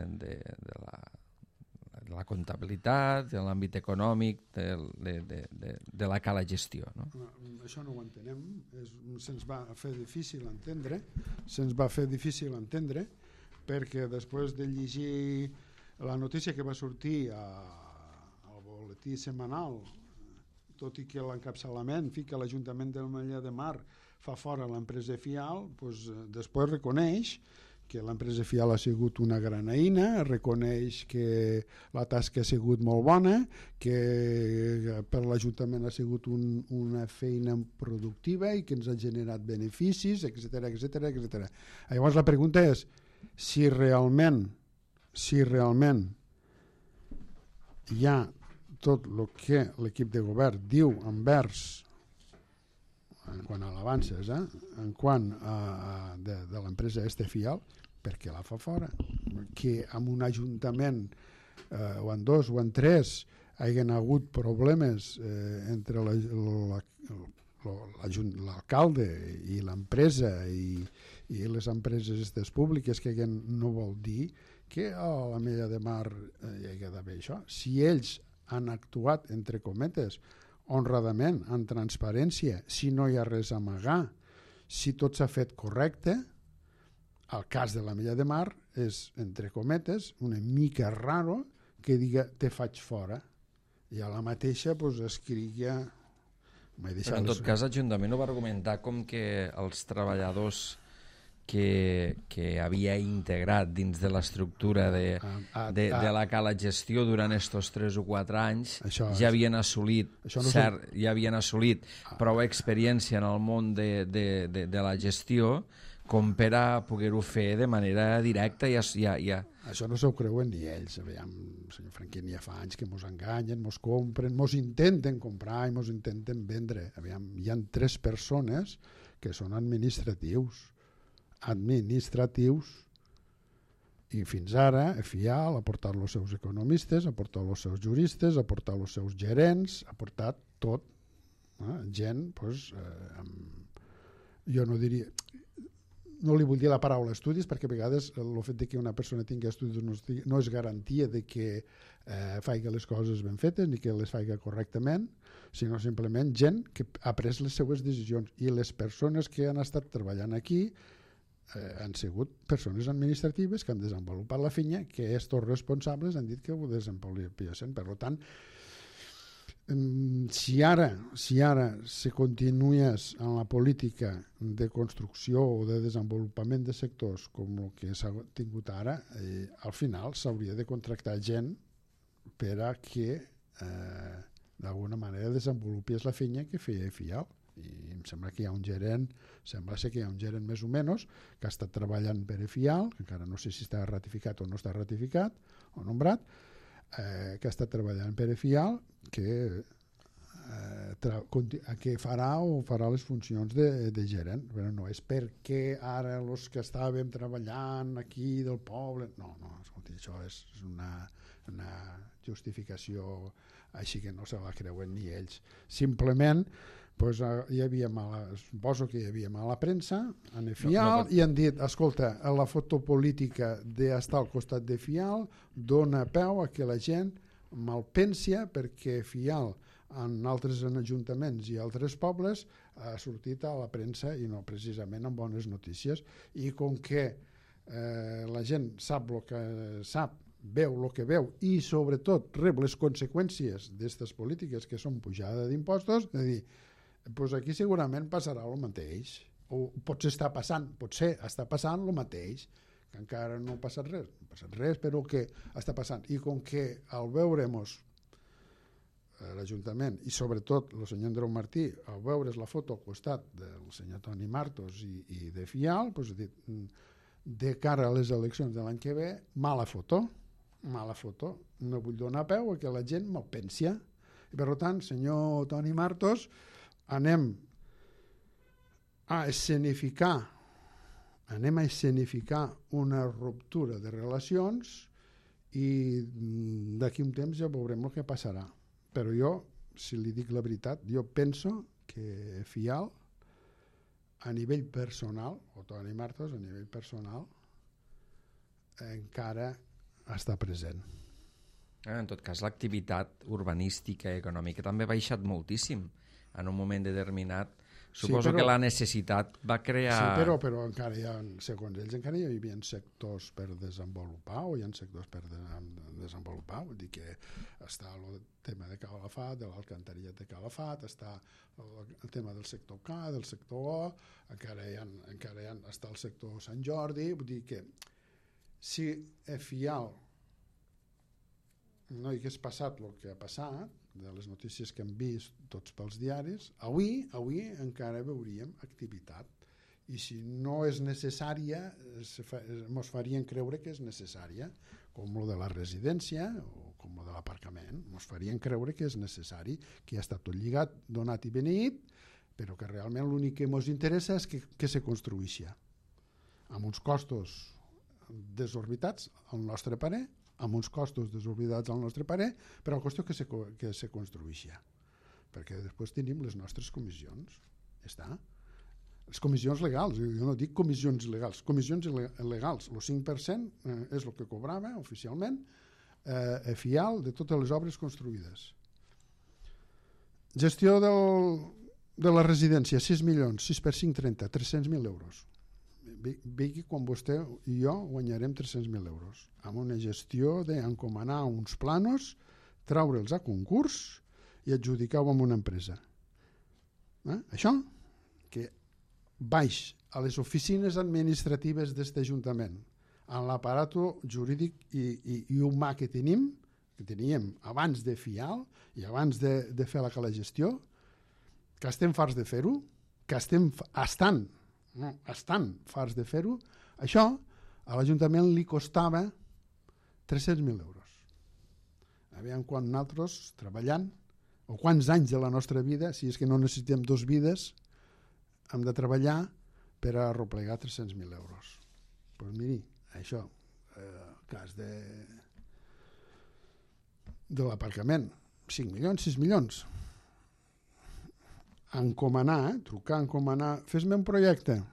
la comptabilitat, en l'àmbit econòmic, de la cala gestió. No? Això no ho entenem, se'ns va fer difícil entendre, perquè després de llegir la notícia que va sortir al boletí setmanal, tot i que l'encapçalament fica l'Ajuntament de l'Ametlla de Mar fa fora l'empresa FIAL, doncs després reconeix que l'empresa FIAL ha sigut una gran eina, reconeix que la tasca ha sigut molt bona, que per l'Ajuntament ha sigut una feina productiva i que ens ha generat beneficis, etc. Llavors la pregunta és si realment hi ha tot el que l'equip de govern diu envers en quant a l'avances, en quant de l'empresa FIAL, perquè la fa fora, que en un ajuntament o en dos o en tres hagin hagut problemes entre l'alcalde i l'empresa i les empreses públiques que no vol dir que a l'Ametlla de Mar hi hagi d'haver això. Si ells han actuat, entre cometes, honradament, amb transparència, si no hi ha res a amagar, si tot s'ha fet correcte, el cas de l'Ametlla de Mar és, entre cometes, una mica raro que diga te faig fora i a la mateixa escrigui... Però en tot cas l'Ajuntament ho va argumentar com que els treballadors que havia integrat dins de l'estructura de la cala gestió durant estos 3 o 4 anys ja havien assolit prou experiència en el món de la gestió com per a poder-ho fer de manera directa. Això no s'ho creuen ni ells. Aviam, senyor Franquín, ja fa anys que mos enganyen, mos compren, mos intenten comprar i mos intenten vendre. Aviam, hi ha 3 persones que són administratius i fins ara FIAL ha portat els seus economistes, ha portat els seus juristes, ha portat els seus gerents, ha portat tot, gent jo no diria, no li vull dir la paraula estudis perquè a vegades el fet que una persona tingui estudis no és garantia de que faci les coses ben fetes ni que les faci correctament, sinó simplement gent que ha pres les seues decisions i les persones que han estat treballant aquí han sigut persones administratives que han desenvolupat la feina, que estos responsables han dit que ho desenvolupen. Per tant, si ara se continués en la política de construcció o de desenvolupament de sectors com el que s'ha tingut ara, al final s'hauria de contractar gent per a que d'alguna manera desenvolupés la feina que feia FIAL. I em sembla que hi ha un gerent, més o menys, que ha estat treballant per FIAL, que encara no sé si està ratificat o no està ratificat o nombrat, que ha estat treballant per FIAL, que farà les funcions de gerent. Però no és perquè ara els que estàvem treballant aquí del poble... No, escolti, això és una justificació així que no se la creuen ni ells. Simplement suposo que hi havia mala premsa en FIAL i han dit, escolta, la foto política d'estar al costat de FIAL dona peu a que la gent malpensia perquè FIAL en altres ajuntaments i altres pobles ha sortit a la premsa i no precisament amb bones notícies, i com que la gent sap el que sap, veu el que veu i sobretot rep les conseqüències d'aquestes polítiques que són pujada d'impostos, és a dir, doncs aquí segurament passarà el mateix, o potser està passant el mateix, que encara no ha passat res, però que està passant. I com que al veure-nos l'Ajuntament i sobretot el senyor Andreu Martí, al veure's la foto al costat del senyor Toni Martos i de FIAL, doncs ha dit, de cara a les eleccions de l'any que ve, mala foto, no vull donar peu a que la gent malpensi. I per tant, senyor Toni Martos, anem a escenificar anem a escenificar una ruptura de relacions i d'aquí un temps ja veurem el que passarà. Però jo, si li dic la veritat, jo penso que Fial, a nivell personal, o Toni Martos, a nivell personal, encara està present. En tot cas, l'activitat urbanística i econòmica també ha baixat moltíssim en un moment determinat. Suposo que la necessitat va crear... Sí, però encara hi ha, segons ells, encara hi havia sectors per desenvolupar o hi ha sectors per desenvolupar. Vull dir que està el tema de Calafat, de l'alcantarillat de Calafat, està el tema del sector K, del sector O, encara hi ha, està el sector Sant Jordi. Vull dir que si a Fial no hi hagués passat el que ha passat, de les notícies que hem vist tots pels diaris, avui encara veuríem activitat. I si no és necessària, ens farien creure que és necessària, com el de la residència o com el de l'aparcament. Ens farien creure que és necessari, que ja està tot lligat, donat i beneït, però que realment l'únic que ens interessa és que se construïssi. Amb uns costos desorbitats, al nostre parer, amb uns costos desorbitats al nostre parer, però la qüestió que se construïssi. Perquè després tenim les nostres comissions. Ja està. Les comissions legals, jo no dic comissions il·legals, comissions legals. El 5% és el que cobrava oficialment a Fial de totes les obres construïdes. Gestió de la residència, 6 milions, 6 per 5, 30, 300.000 euros. Vegi quan vostè i jo guanyarem 300.000 euros amb una gestió d'encomanar uns planos, traure'ls a concurs i adjudicar-ho amb una empresa. Això que baix a les oficines administratives d'aquest Ajuntament, en l'aparato jurídic i humà que teníem abans de Fial i abans de fer la gestió, que estem farts de fer-ho, que estan farts de fer-ho, això a l'Ajuntament li costava 300.000 euros. Aviam quan nosaltres treballant, o quants anys de la nostra vida, si és que no necessitem 2 vides, hem de treballar per a arreplegar 300.000 euros. Doncs miri, això, el cas de l'aparcament, 5 milions, 6 milions. Encomanar, trucar, encomanar, fes-me un projecte.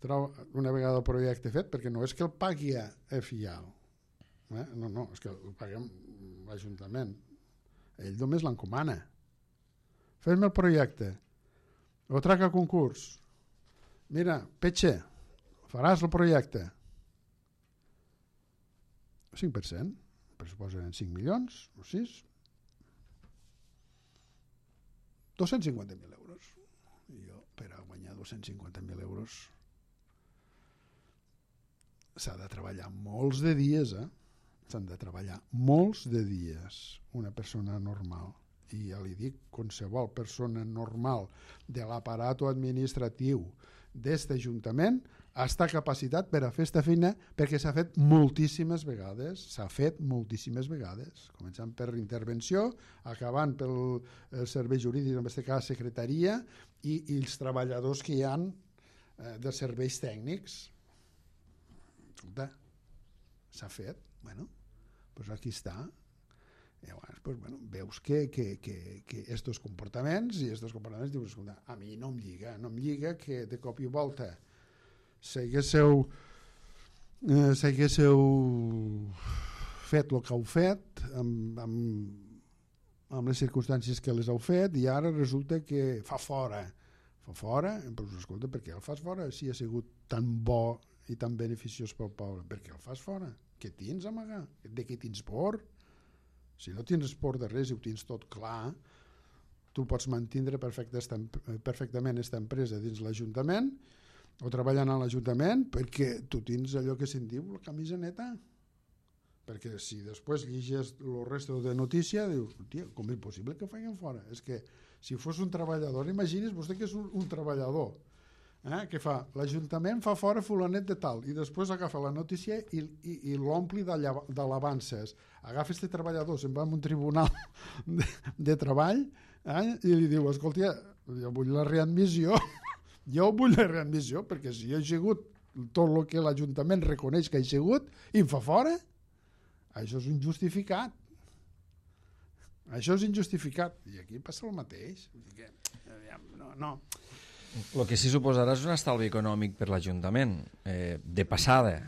Una vegada el projecte fet, perquè no és que el pagui a Fial, no, és que el paguem l'Ajuntament, ell només l'encomana. Fes-me el projecte, ho trac a concurs, mira, Petxe, faràs el projecte, 5%, pressuposen 5 milions o 6, 250.000 euros. I jo, per a guanyar 250.000 euros s'ha de treballar molts de dies, s'han de treballar molts de dies una persona normal. I ja li dic, qualsevol persona normal de l'aparato administratiu d'aquest Ajuntament està capacitat per a fer aquesta feina, perquè s'ha fet moltíssimes vegades, començant per intervenció, acabant pel servei jurídic, en aquest cas secretaria, i els treballadors que hi ha de serveis tècnics. Escolta, s'ha fet, doncs aquí està. I llavors, veus que estos comportaments dius, escolta, a mi no em lliga que de cop i volta s'haguéssiu fet el que heu fet amb les circumstàncies que les heu fet, i ara resulta que fa fora, doncs escolta, per què el fas fora si ha sigut tan bo i tan beneficiós pel poble? Per què el fas fora? Què tens a amagar? De què tens por? Si no tens por de res i ho tens tot clar, tu pots mantindre perfectament aquesta empresa dins l'Ajuntament o treballant a l'Ajuntament, perquè tu tens allò que se'n diu la camisa neta. Perquè si després llegis el resto de notícia, dius, tia, com és possible que ho facin fora? És que si fos un treballador, imagini's vostè que és un treballador, que fa, l'Ajuntament fa fora fulanet de tal, i després agafa la notícia i l'ompli d'alabances. Agafa este treballador, se'n va a un tribunal de treball, i li diu, escolta, jo vull la readmissió, Jo vull la readmissió, perquè si jo he sigut tot el que l'Ajuntament reconeix que he sigut i em fa fora, això és injustificat. Això és injustificat. I aquí passa el mateix. No. El que sí suposarà és un estalvi econòmic per l'Ajuntament, de passada.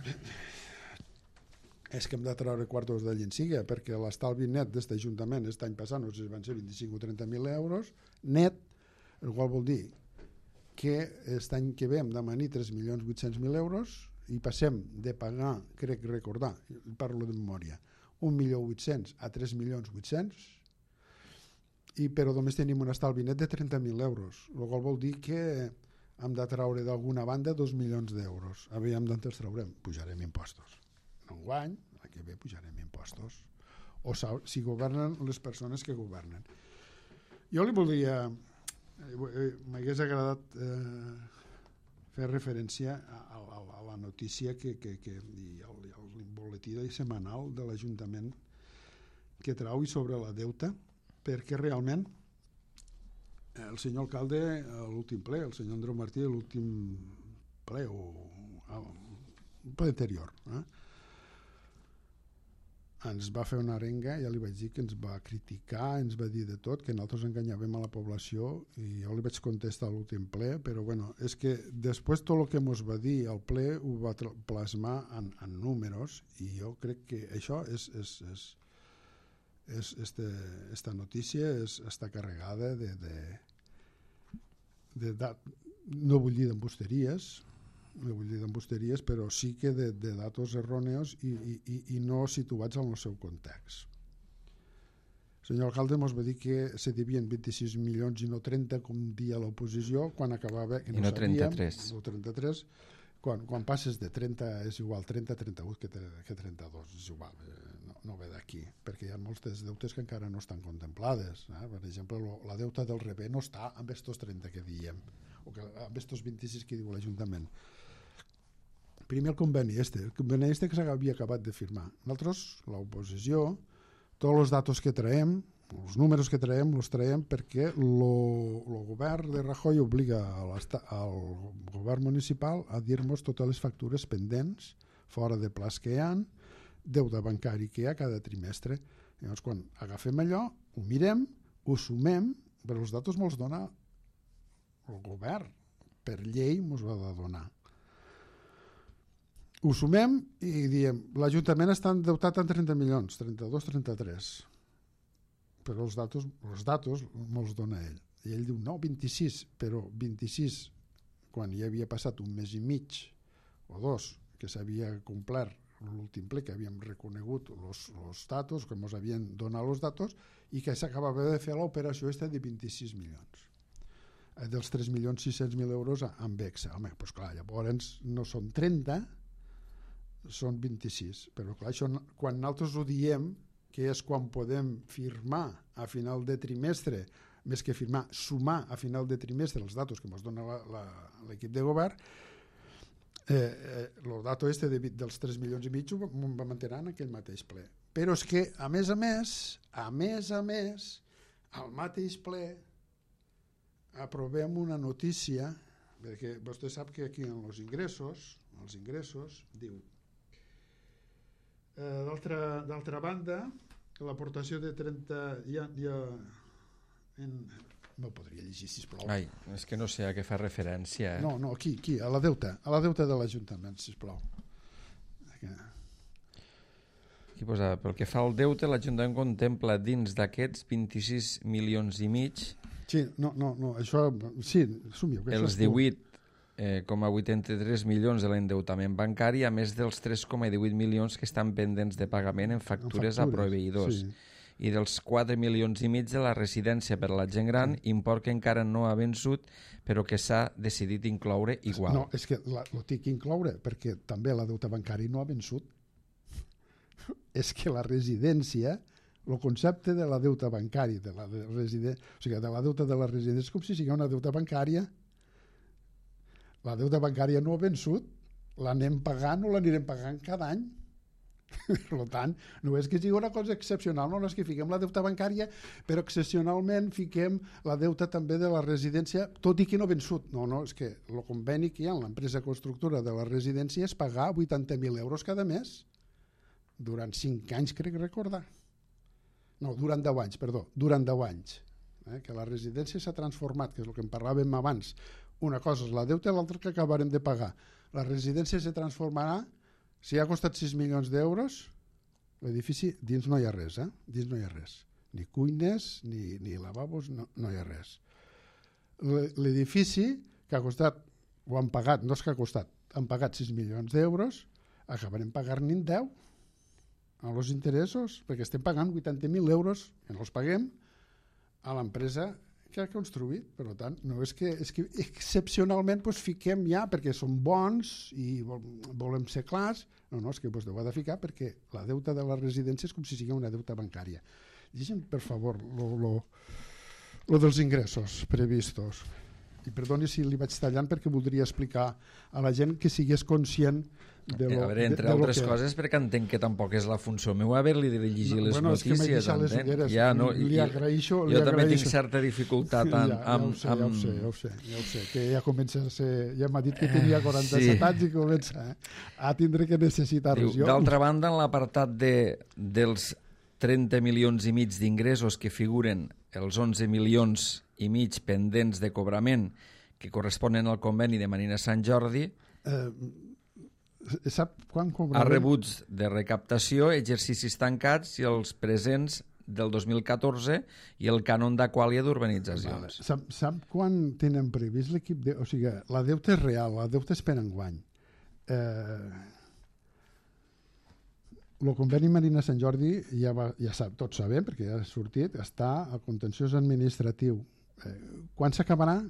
És que hem de treure quartos de llenciga, perquè l'estalvi net d'aquest Ajuntament aquest any passat, no sé si van ser 25 o 30.000 euros, net, el qual vol dir que aquest any que ve hem de manir 3.800.000 euros i passem de pagar, crec recordar, parlo de memòria, 1.800.000 a 3.800.000, però només tenim un estalvi net de 30.000 euros, el qual vol dir que hem de treure d'alguna banda 2 milions d'euros. Aviam d'on els traurem? Pujarem impostos. Enguany, la que ve pujarem impostos. O si governen les persones que governen. Jo li voldria... m'hagués agradat fer referència a la notícia i al boletí setmanal de l'Ajuntament que trau sobre la deuta, perquè realment el senyor alcalde a l'últim ple, el senyor Andreu Martí a l'últim ple o el ple anterior, ens va fer una arenga, ja li vaig dir que ens va criticar, ens va dir de tot, que nosaltres enganyàvem a la població, i jo li vaig contestar a l'últim ple, però bueno, és que després tot el que ens va dir al ple ho va plasmar en números, i jo crec que això esta notícia està carregada no vull dir d'embusteries, però sí que de datos erròneos i no situats en el seu context. El senyor alcalde ens va dir que se devien 26 milions i no 30, com dia l'oposició, quan acabava... I no 33. No 33. Quan passes de 30 és igual 30, 38 que 32, és igual, no ve d'aquí, perquè hi ha moltes deutes que encara no estan contemplades. Per exemple, la deuta del rebé no està amb estos 30 que diem, o amb estos 26 que diu l'Ajuntament. Primer el conveni que s'havia acabat de firmar. Nosaltres, l'oposició, tots els datos que traiem, els números que traiem, els traiem perquè el govern de Rajoy obliga al govern municipal a dir-nos totes les factures pendents, fora de plaç que hi ha, deute bancari que hi ha cada trimestre. Llavors, quan agafem allò, ho mirem, ho sumem, però els datos me'ls dona el govern. Per llei me'ls va de donar. Ho sumem i diem, l'Ajuntament està endeutat en 30 milions, 32, 33. Però els datos me'ls dona ell. I ell diu, no, 26, però 26, quan ja havia passat un mes i mig o dos, que s'havia complert l'últim ple, que havíem reconegut els datos, que ens havien donat els datos, i que s'acabava de fer l'operació de 26 milions. Dels 3.600.000 euros amb Vexa. Home, doncs clar, llavors no són 30, són 26. Però clar, això, quan nosaltres ho diem, que és quan podem firmar a final de trimestre, més que firmar, sumar a final de trimestre els datos que ens dona l'equip de govern, el dato dels 3 milions i mig ho va mantenir en aquell mateix ple. Però és que, a més, al mateix ple aprovem una notícia, perquè vostè sap que aquí en els ingressos diu d'altra banda, l'aportació de 30... No podria llegir, sisplau. Ai, és que no sé a què fa referència. No, aquí, a la deuta de l'Ajuntament, sisplau. Aquí posa, pel que fa al deute, l'Ajuntament contempla dins d'aquests 26 milions i mig... Sí, no, això... Sí, assumiu. Els 18,83 milions de l'endeutament bancari, a més dels 3,18 milions que estan pendents de pagament en factures a proveïdors. Sí. I dels 4 milions i mig de la residència per a la gent gran, import que encara no ha vençut, però que s'ha decidit incloure igual. No, és que ho tinc que incloure, perquè també la deuta bancari no ha vençut. És que la residència, el concepte de la deuta bancari, de la deuta de la residència, és com si sigui una deuta bancària. La deuta bancària no ha vençut, l'anem pagant o l'anirem pagant cada any. Per tant, no és que sigui una cosa excepcional, no és que fiquem la deuta bancària, però excepcionalment fiquem la deuta també de la residència, tot i que no vençut. No, és que el conveni que hi ha en l'empresa constructora de la residència és pagar 80.000 euros cada mes, durant 5 anys, crec recordar. No, durant 10 anys, perdó, durant 10 anys. Que la residència s'ha transformat, que és el que en parlàvem abans. Una cosa és la deuta i l'altra que acabarem de pagar. La residència se transformarà. Si ha costat 6 milions d'euros, l'edifici dins no hi ha res, dins no hi ha res. Ni cuines, ni lavabos, no hi ha res. L'edifici que ha costat, o han pagat, no és que ha costat, han pagat 6 milions d'euros, acabarem pagant-ne 10 a els interessos, perquè estem pagant 80.000 euros, que no els paguem, a l'empresa que ha construït. Per tant, no és que excepcionalment fiquem ja perquè som bons i volem ser clars, no, és que ho ha de ficar perquè la deuta de la residència és com si sigui una deuta bancària. Llegim, per favor, lo dels ingressos previstos. I perdoni si li vaig tallant perquè voldria explicar a la gent que sigués conscient de lo, a veure, entre altres coses, perquè entenc que tampoc és la funció meva haver-li de llegir les notícies. Ja, li agraeixo. Jo també tinc certa dificultat ja ho sé, que ja comença a ser... Ja m'ha dit que tenia 47 anys i comença a tindre que necessitar-los. D'altra banda, en l'apartat dels 30 milions i mig d'ingressos que figuren els 11 milions i mig pendents de cobrament que corresponen al conveni de Marina Sant Jordi, sap quan cobrarem? Ha rebuts de recaptació, exercicis tancats i els presents del 2014 i el cànon d'aquàlia d'urbanitzacions. Sap quan tenen previst l'equip de... O sigui, la deuta és real, la deuta és per enguany. El conveni Marina Sant Jordi, tots sabem, perquè ja ha sortit, està al contenciós administratiu. Quan s'acabarà?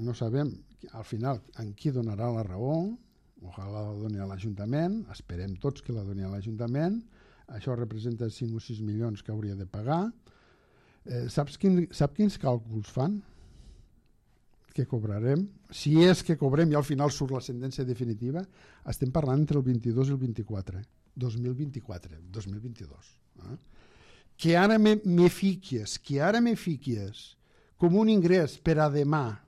No sabem. Al final, en qui donarà la raó? Ojalà la doni a l'Ajuntament, esperem tots que la doni a l'Ajuntament, això representa 5 o 6 milions que hauria de pagar. Sap quins càlculs fan? Que cobrarem? Si és que cobrem i al final surt la sentència definitiva, estem parlant entre el 22 i el 24, 2022. Que ara me fiquies com un ingrés per a demà,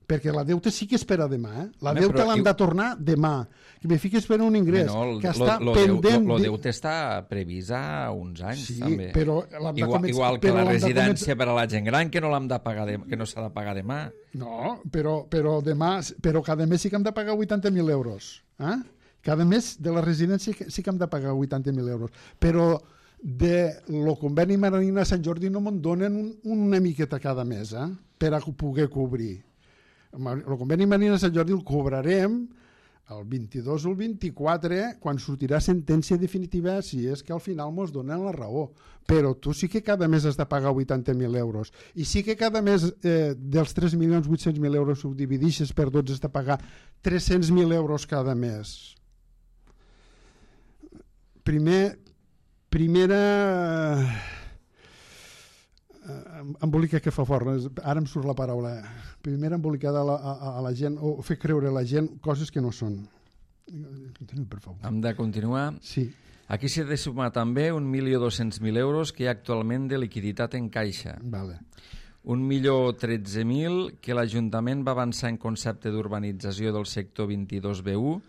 perquè la deuta sí que és per a demà, la deuta l'han de tornar demà, que me fiques per un ingrés que està pendent... El deuta està previst a uns anys, també. Però igual que la residència per a la gent gran, que no l'hem de pagar que no s'ha de pagar demà. No, però cada mes sí que hem de pagar 80.000 euros. Cada mes de la residència sí que hem de pagar 80.000 euros. Però de lo conveni Marina Sant Jordi no me'n donen una miqueta cada mes per a poder cobrir. El conveni Marina Sant Jordi el cobrarem el 22 o el 24 quan sortirà sentència definitiva, si és que al final mos donen la raó. Però tu sí que cada mes has de pagar 80.000 euros i sí que cada mes dels 3.800.000 euros ho dividixes per 12 has de pagar 300.000 euros cada mes. Primera embolica que fa fort, ara em surt la paraula, primera embolicada a la gent o fer creure a la gent coses que no són. Continua, per favor. Hem de continuar? Sí. Aquí s'ha de sumar també 1.200.000 euros que hi ha actualment de liquiditat en caixa. Vale. 1.013.000 que l'Ajuntament va avançar en concepte d'urbanització del sector 22B1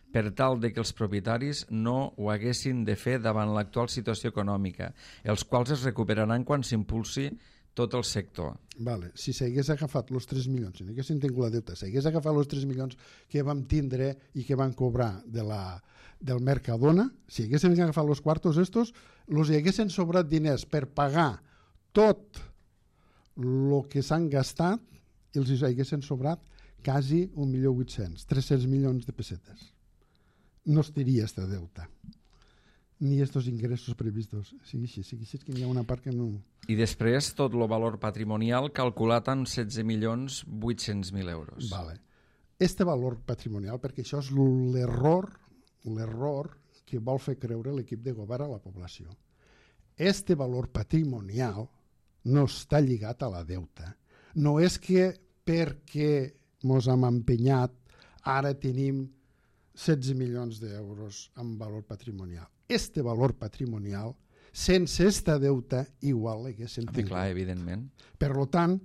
per tal de que els propietaris no ho haguessin de fer davant l'actual situació econòmica, els quals es recuperaran quan s'impulsi tot el sector. Vale. Si s'hagués agafat els 3 milions, si no haguessin tingut la deuta, s'hagués agafat els 3 milions que vam tindre i que van cobrar del Mercadona, si haguessin agafat els quartos estos, els haguessin sobrat diners per pagar tot el que s'han gastat i els haguessin sobrat quasi 1.800.000, 300 milions de pessetes. No estaria esta deuta ni estos ingressos previstos. Sigui així que hi ha una part que no... I després tot el valor patrimonial calculat en 16.800.000 euros. Vale. Este valor patrimonial, perquè això és l'error que vol fer creure l'equip de govern a la població. Este valor patrimonial no està lligat a la deuta. No és que perquè mos hem empenyat ara tenim 16 milions d'euros en valor patrimonial. este valor patrimonial, sense este deute igual l'haguessin tingut. Clar, evidentment. Per tant,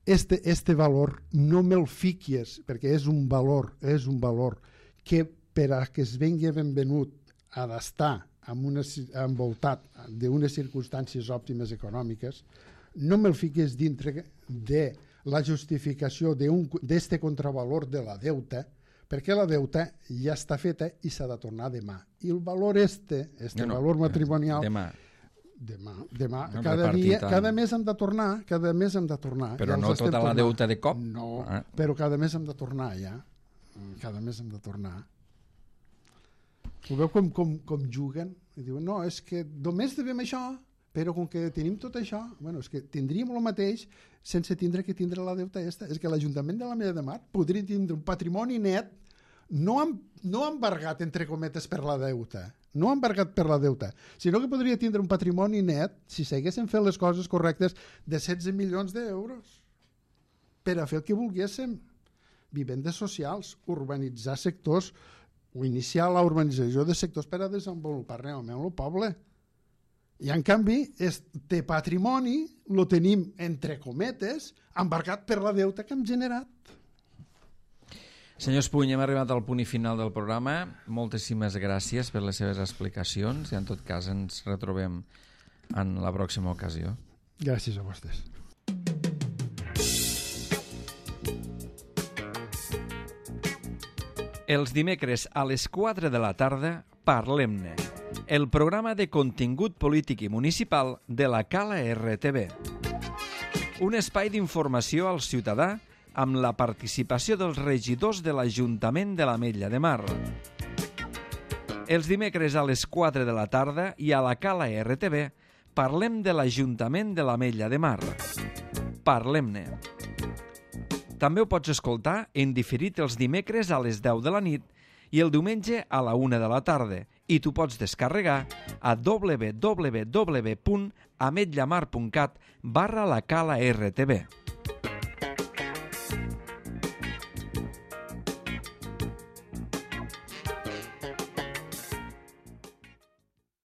este valor no me'l fiquies, perquè és un valor que per a que es vengui ben venut ha d'estar envoltat d'unes circumstàncies òptimes econòmiques, no me'l fiques dintre de la justificació d'este contravalor de la deuta, perquè la deuta ja està feta i s'ha de tornar demà. I el valor valor matrimonial... Demà. Cada mes hem de tornar. Però no tota la deuta de cop? No, però cada mes hem de tornar ja. Cada mes hem de tornar. Ho veu com juguen? I diuen, no, és que només devem això, però com que tenim tot això, bueno, és que tindríem el mateix sense tindre que tindre la deuta esta. És que l'Ajuntament de l'Ametlla de Mar podria tindre un patrimoni net no embargat, entre cometes, per la deuta, sinó que podria tindre un patrimoni net, si s'haguessin fet les coses correctes, de 16 milions d'euros per a fer el que volguéssim. Vivendes socials, urbanitzar sectors, o iniciar la urbanització de sectors per a desenvolupar realment el poble. I, en canvi, este patrimoni el tenim, entre cometes, embarcat per la deuta que hem generat. Senyor Espuny, hem arribat al punt i final del programa. Moltíssimes gràcies per les seves explicacions i en tot cas ens retrobem en la pròxima ocasió. Gràcies a vostès. Els dimecres a les 4 de la tarda, Parlem-ne, el programa de contingut polític i municipal de la Cala RTV. Un espai d'informació al ciutadà amb la participació dels regidors de l'Ajuntament de l'Ametlla de Mar. Els dimecres a les 4 de la tarda i a la Cala RTV parlem de l'Ajuntament de l'Ametlla de Mar. Parlem-ne. També ho pots escoltar en diferit els dimecres a les 10 de la nit i el diumenge a la 1 de la tarda i t'ho pots descarregar a www.ametllamar.cat/la Cala RTV.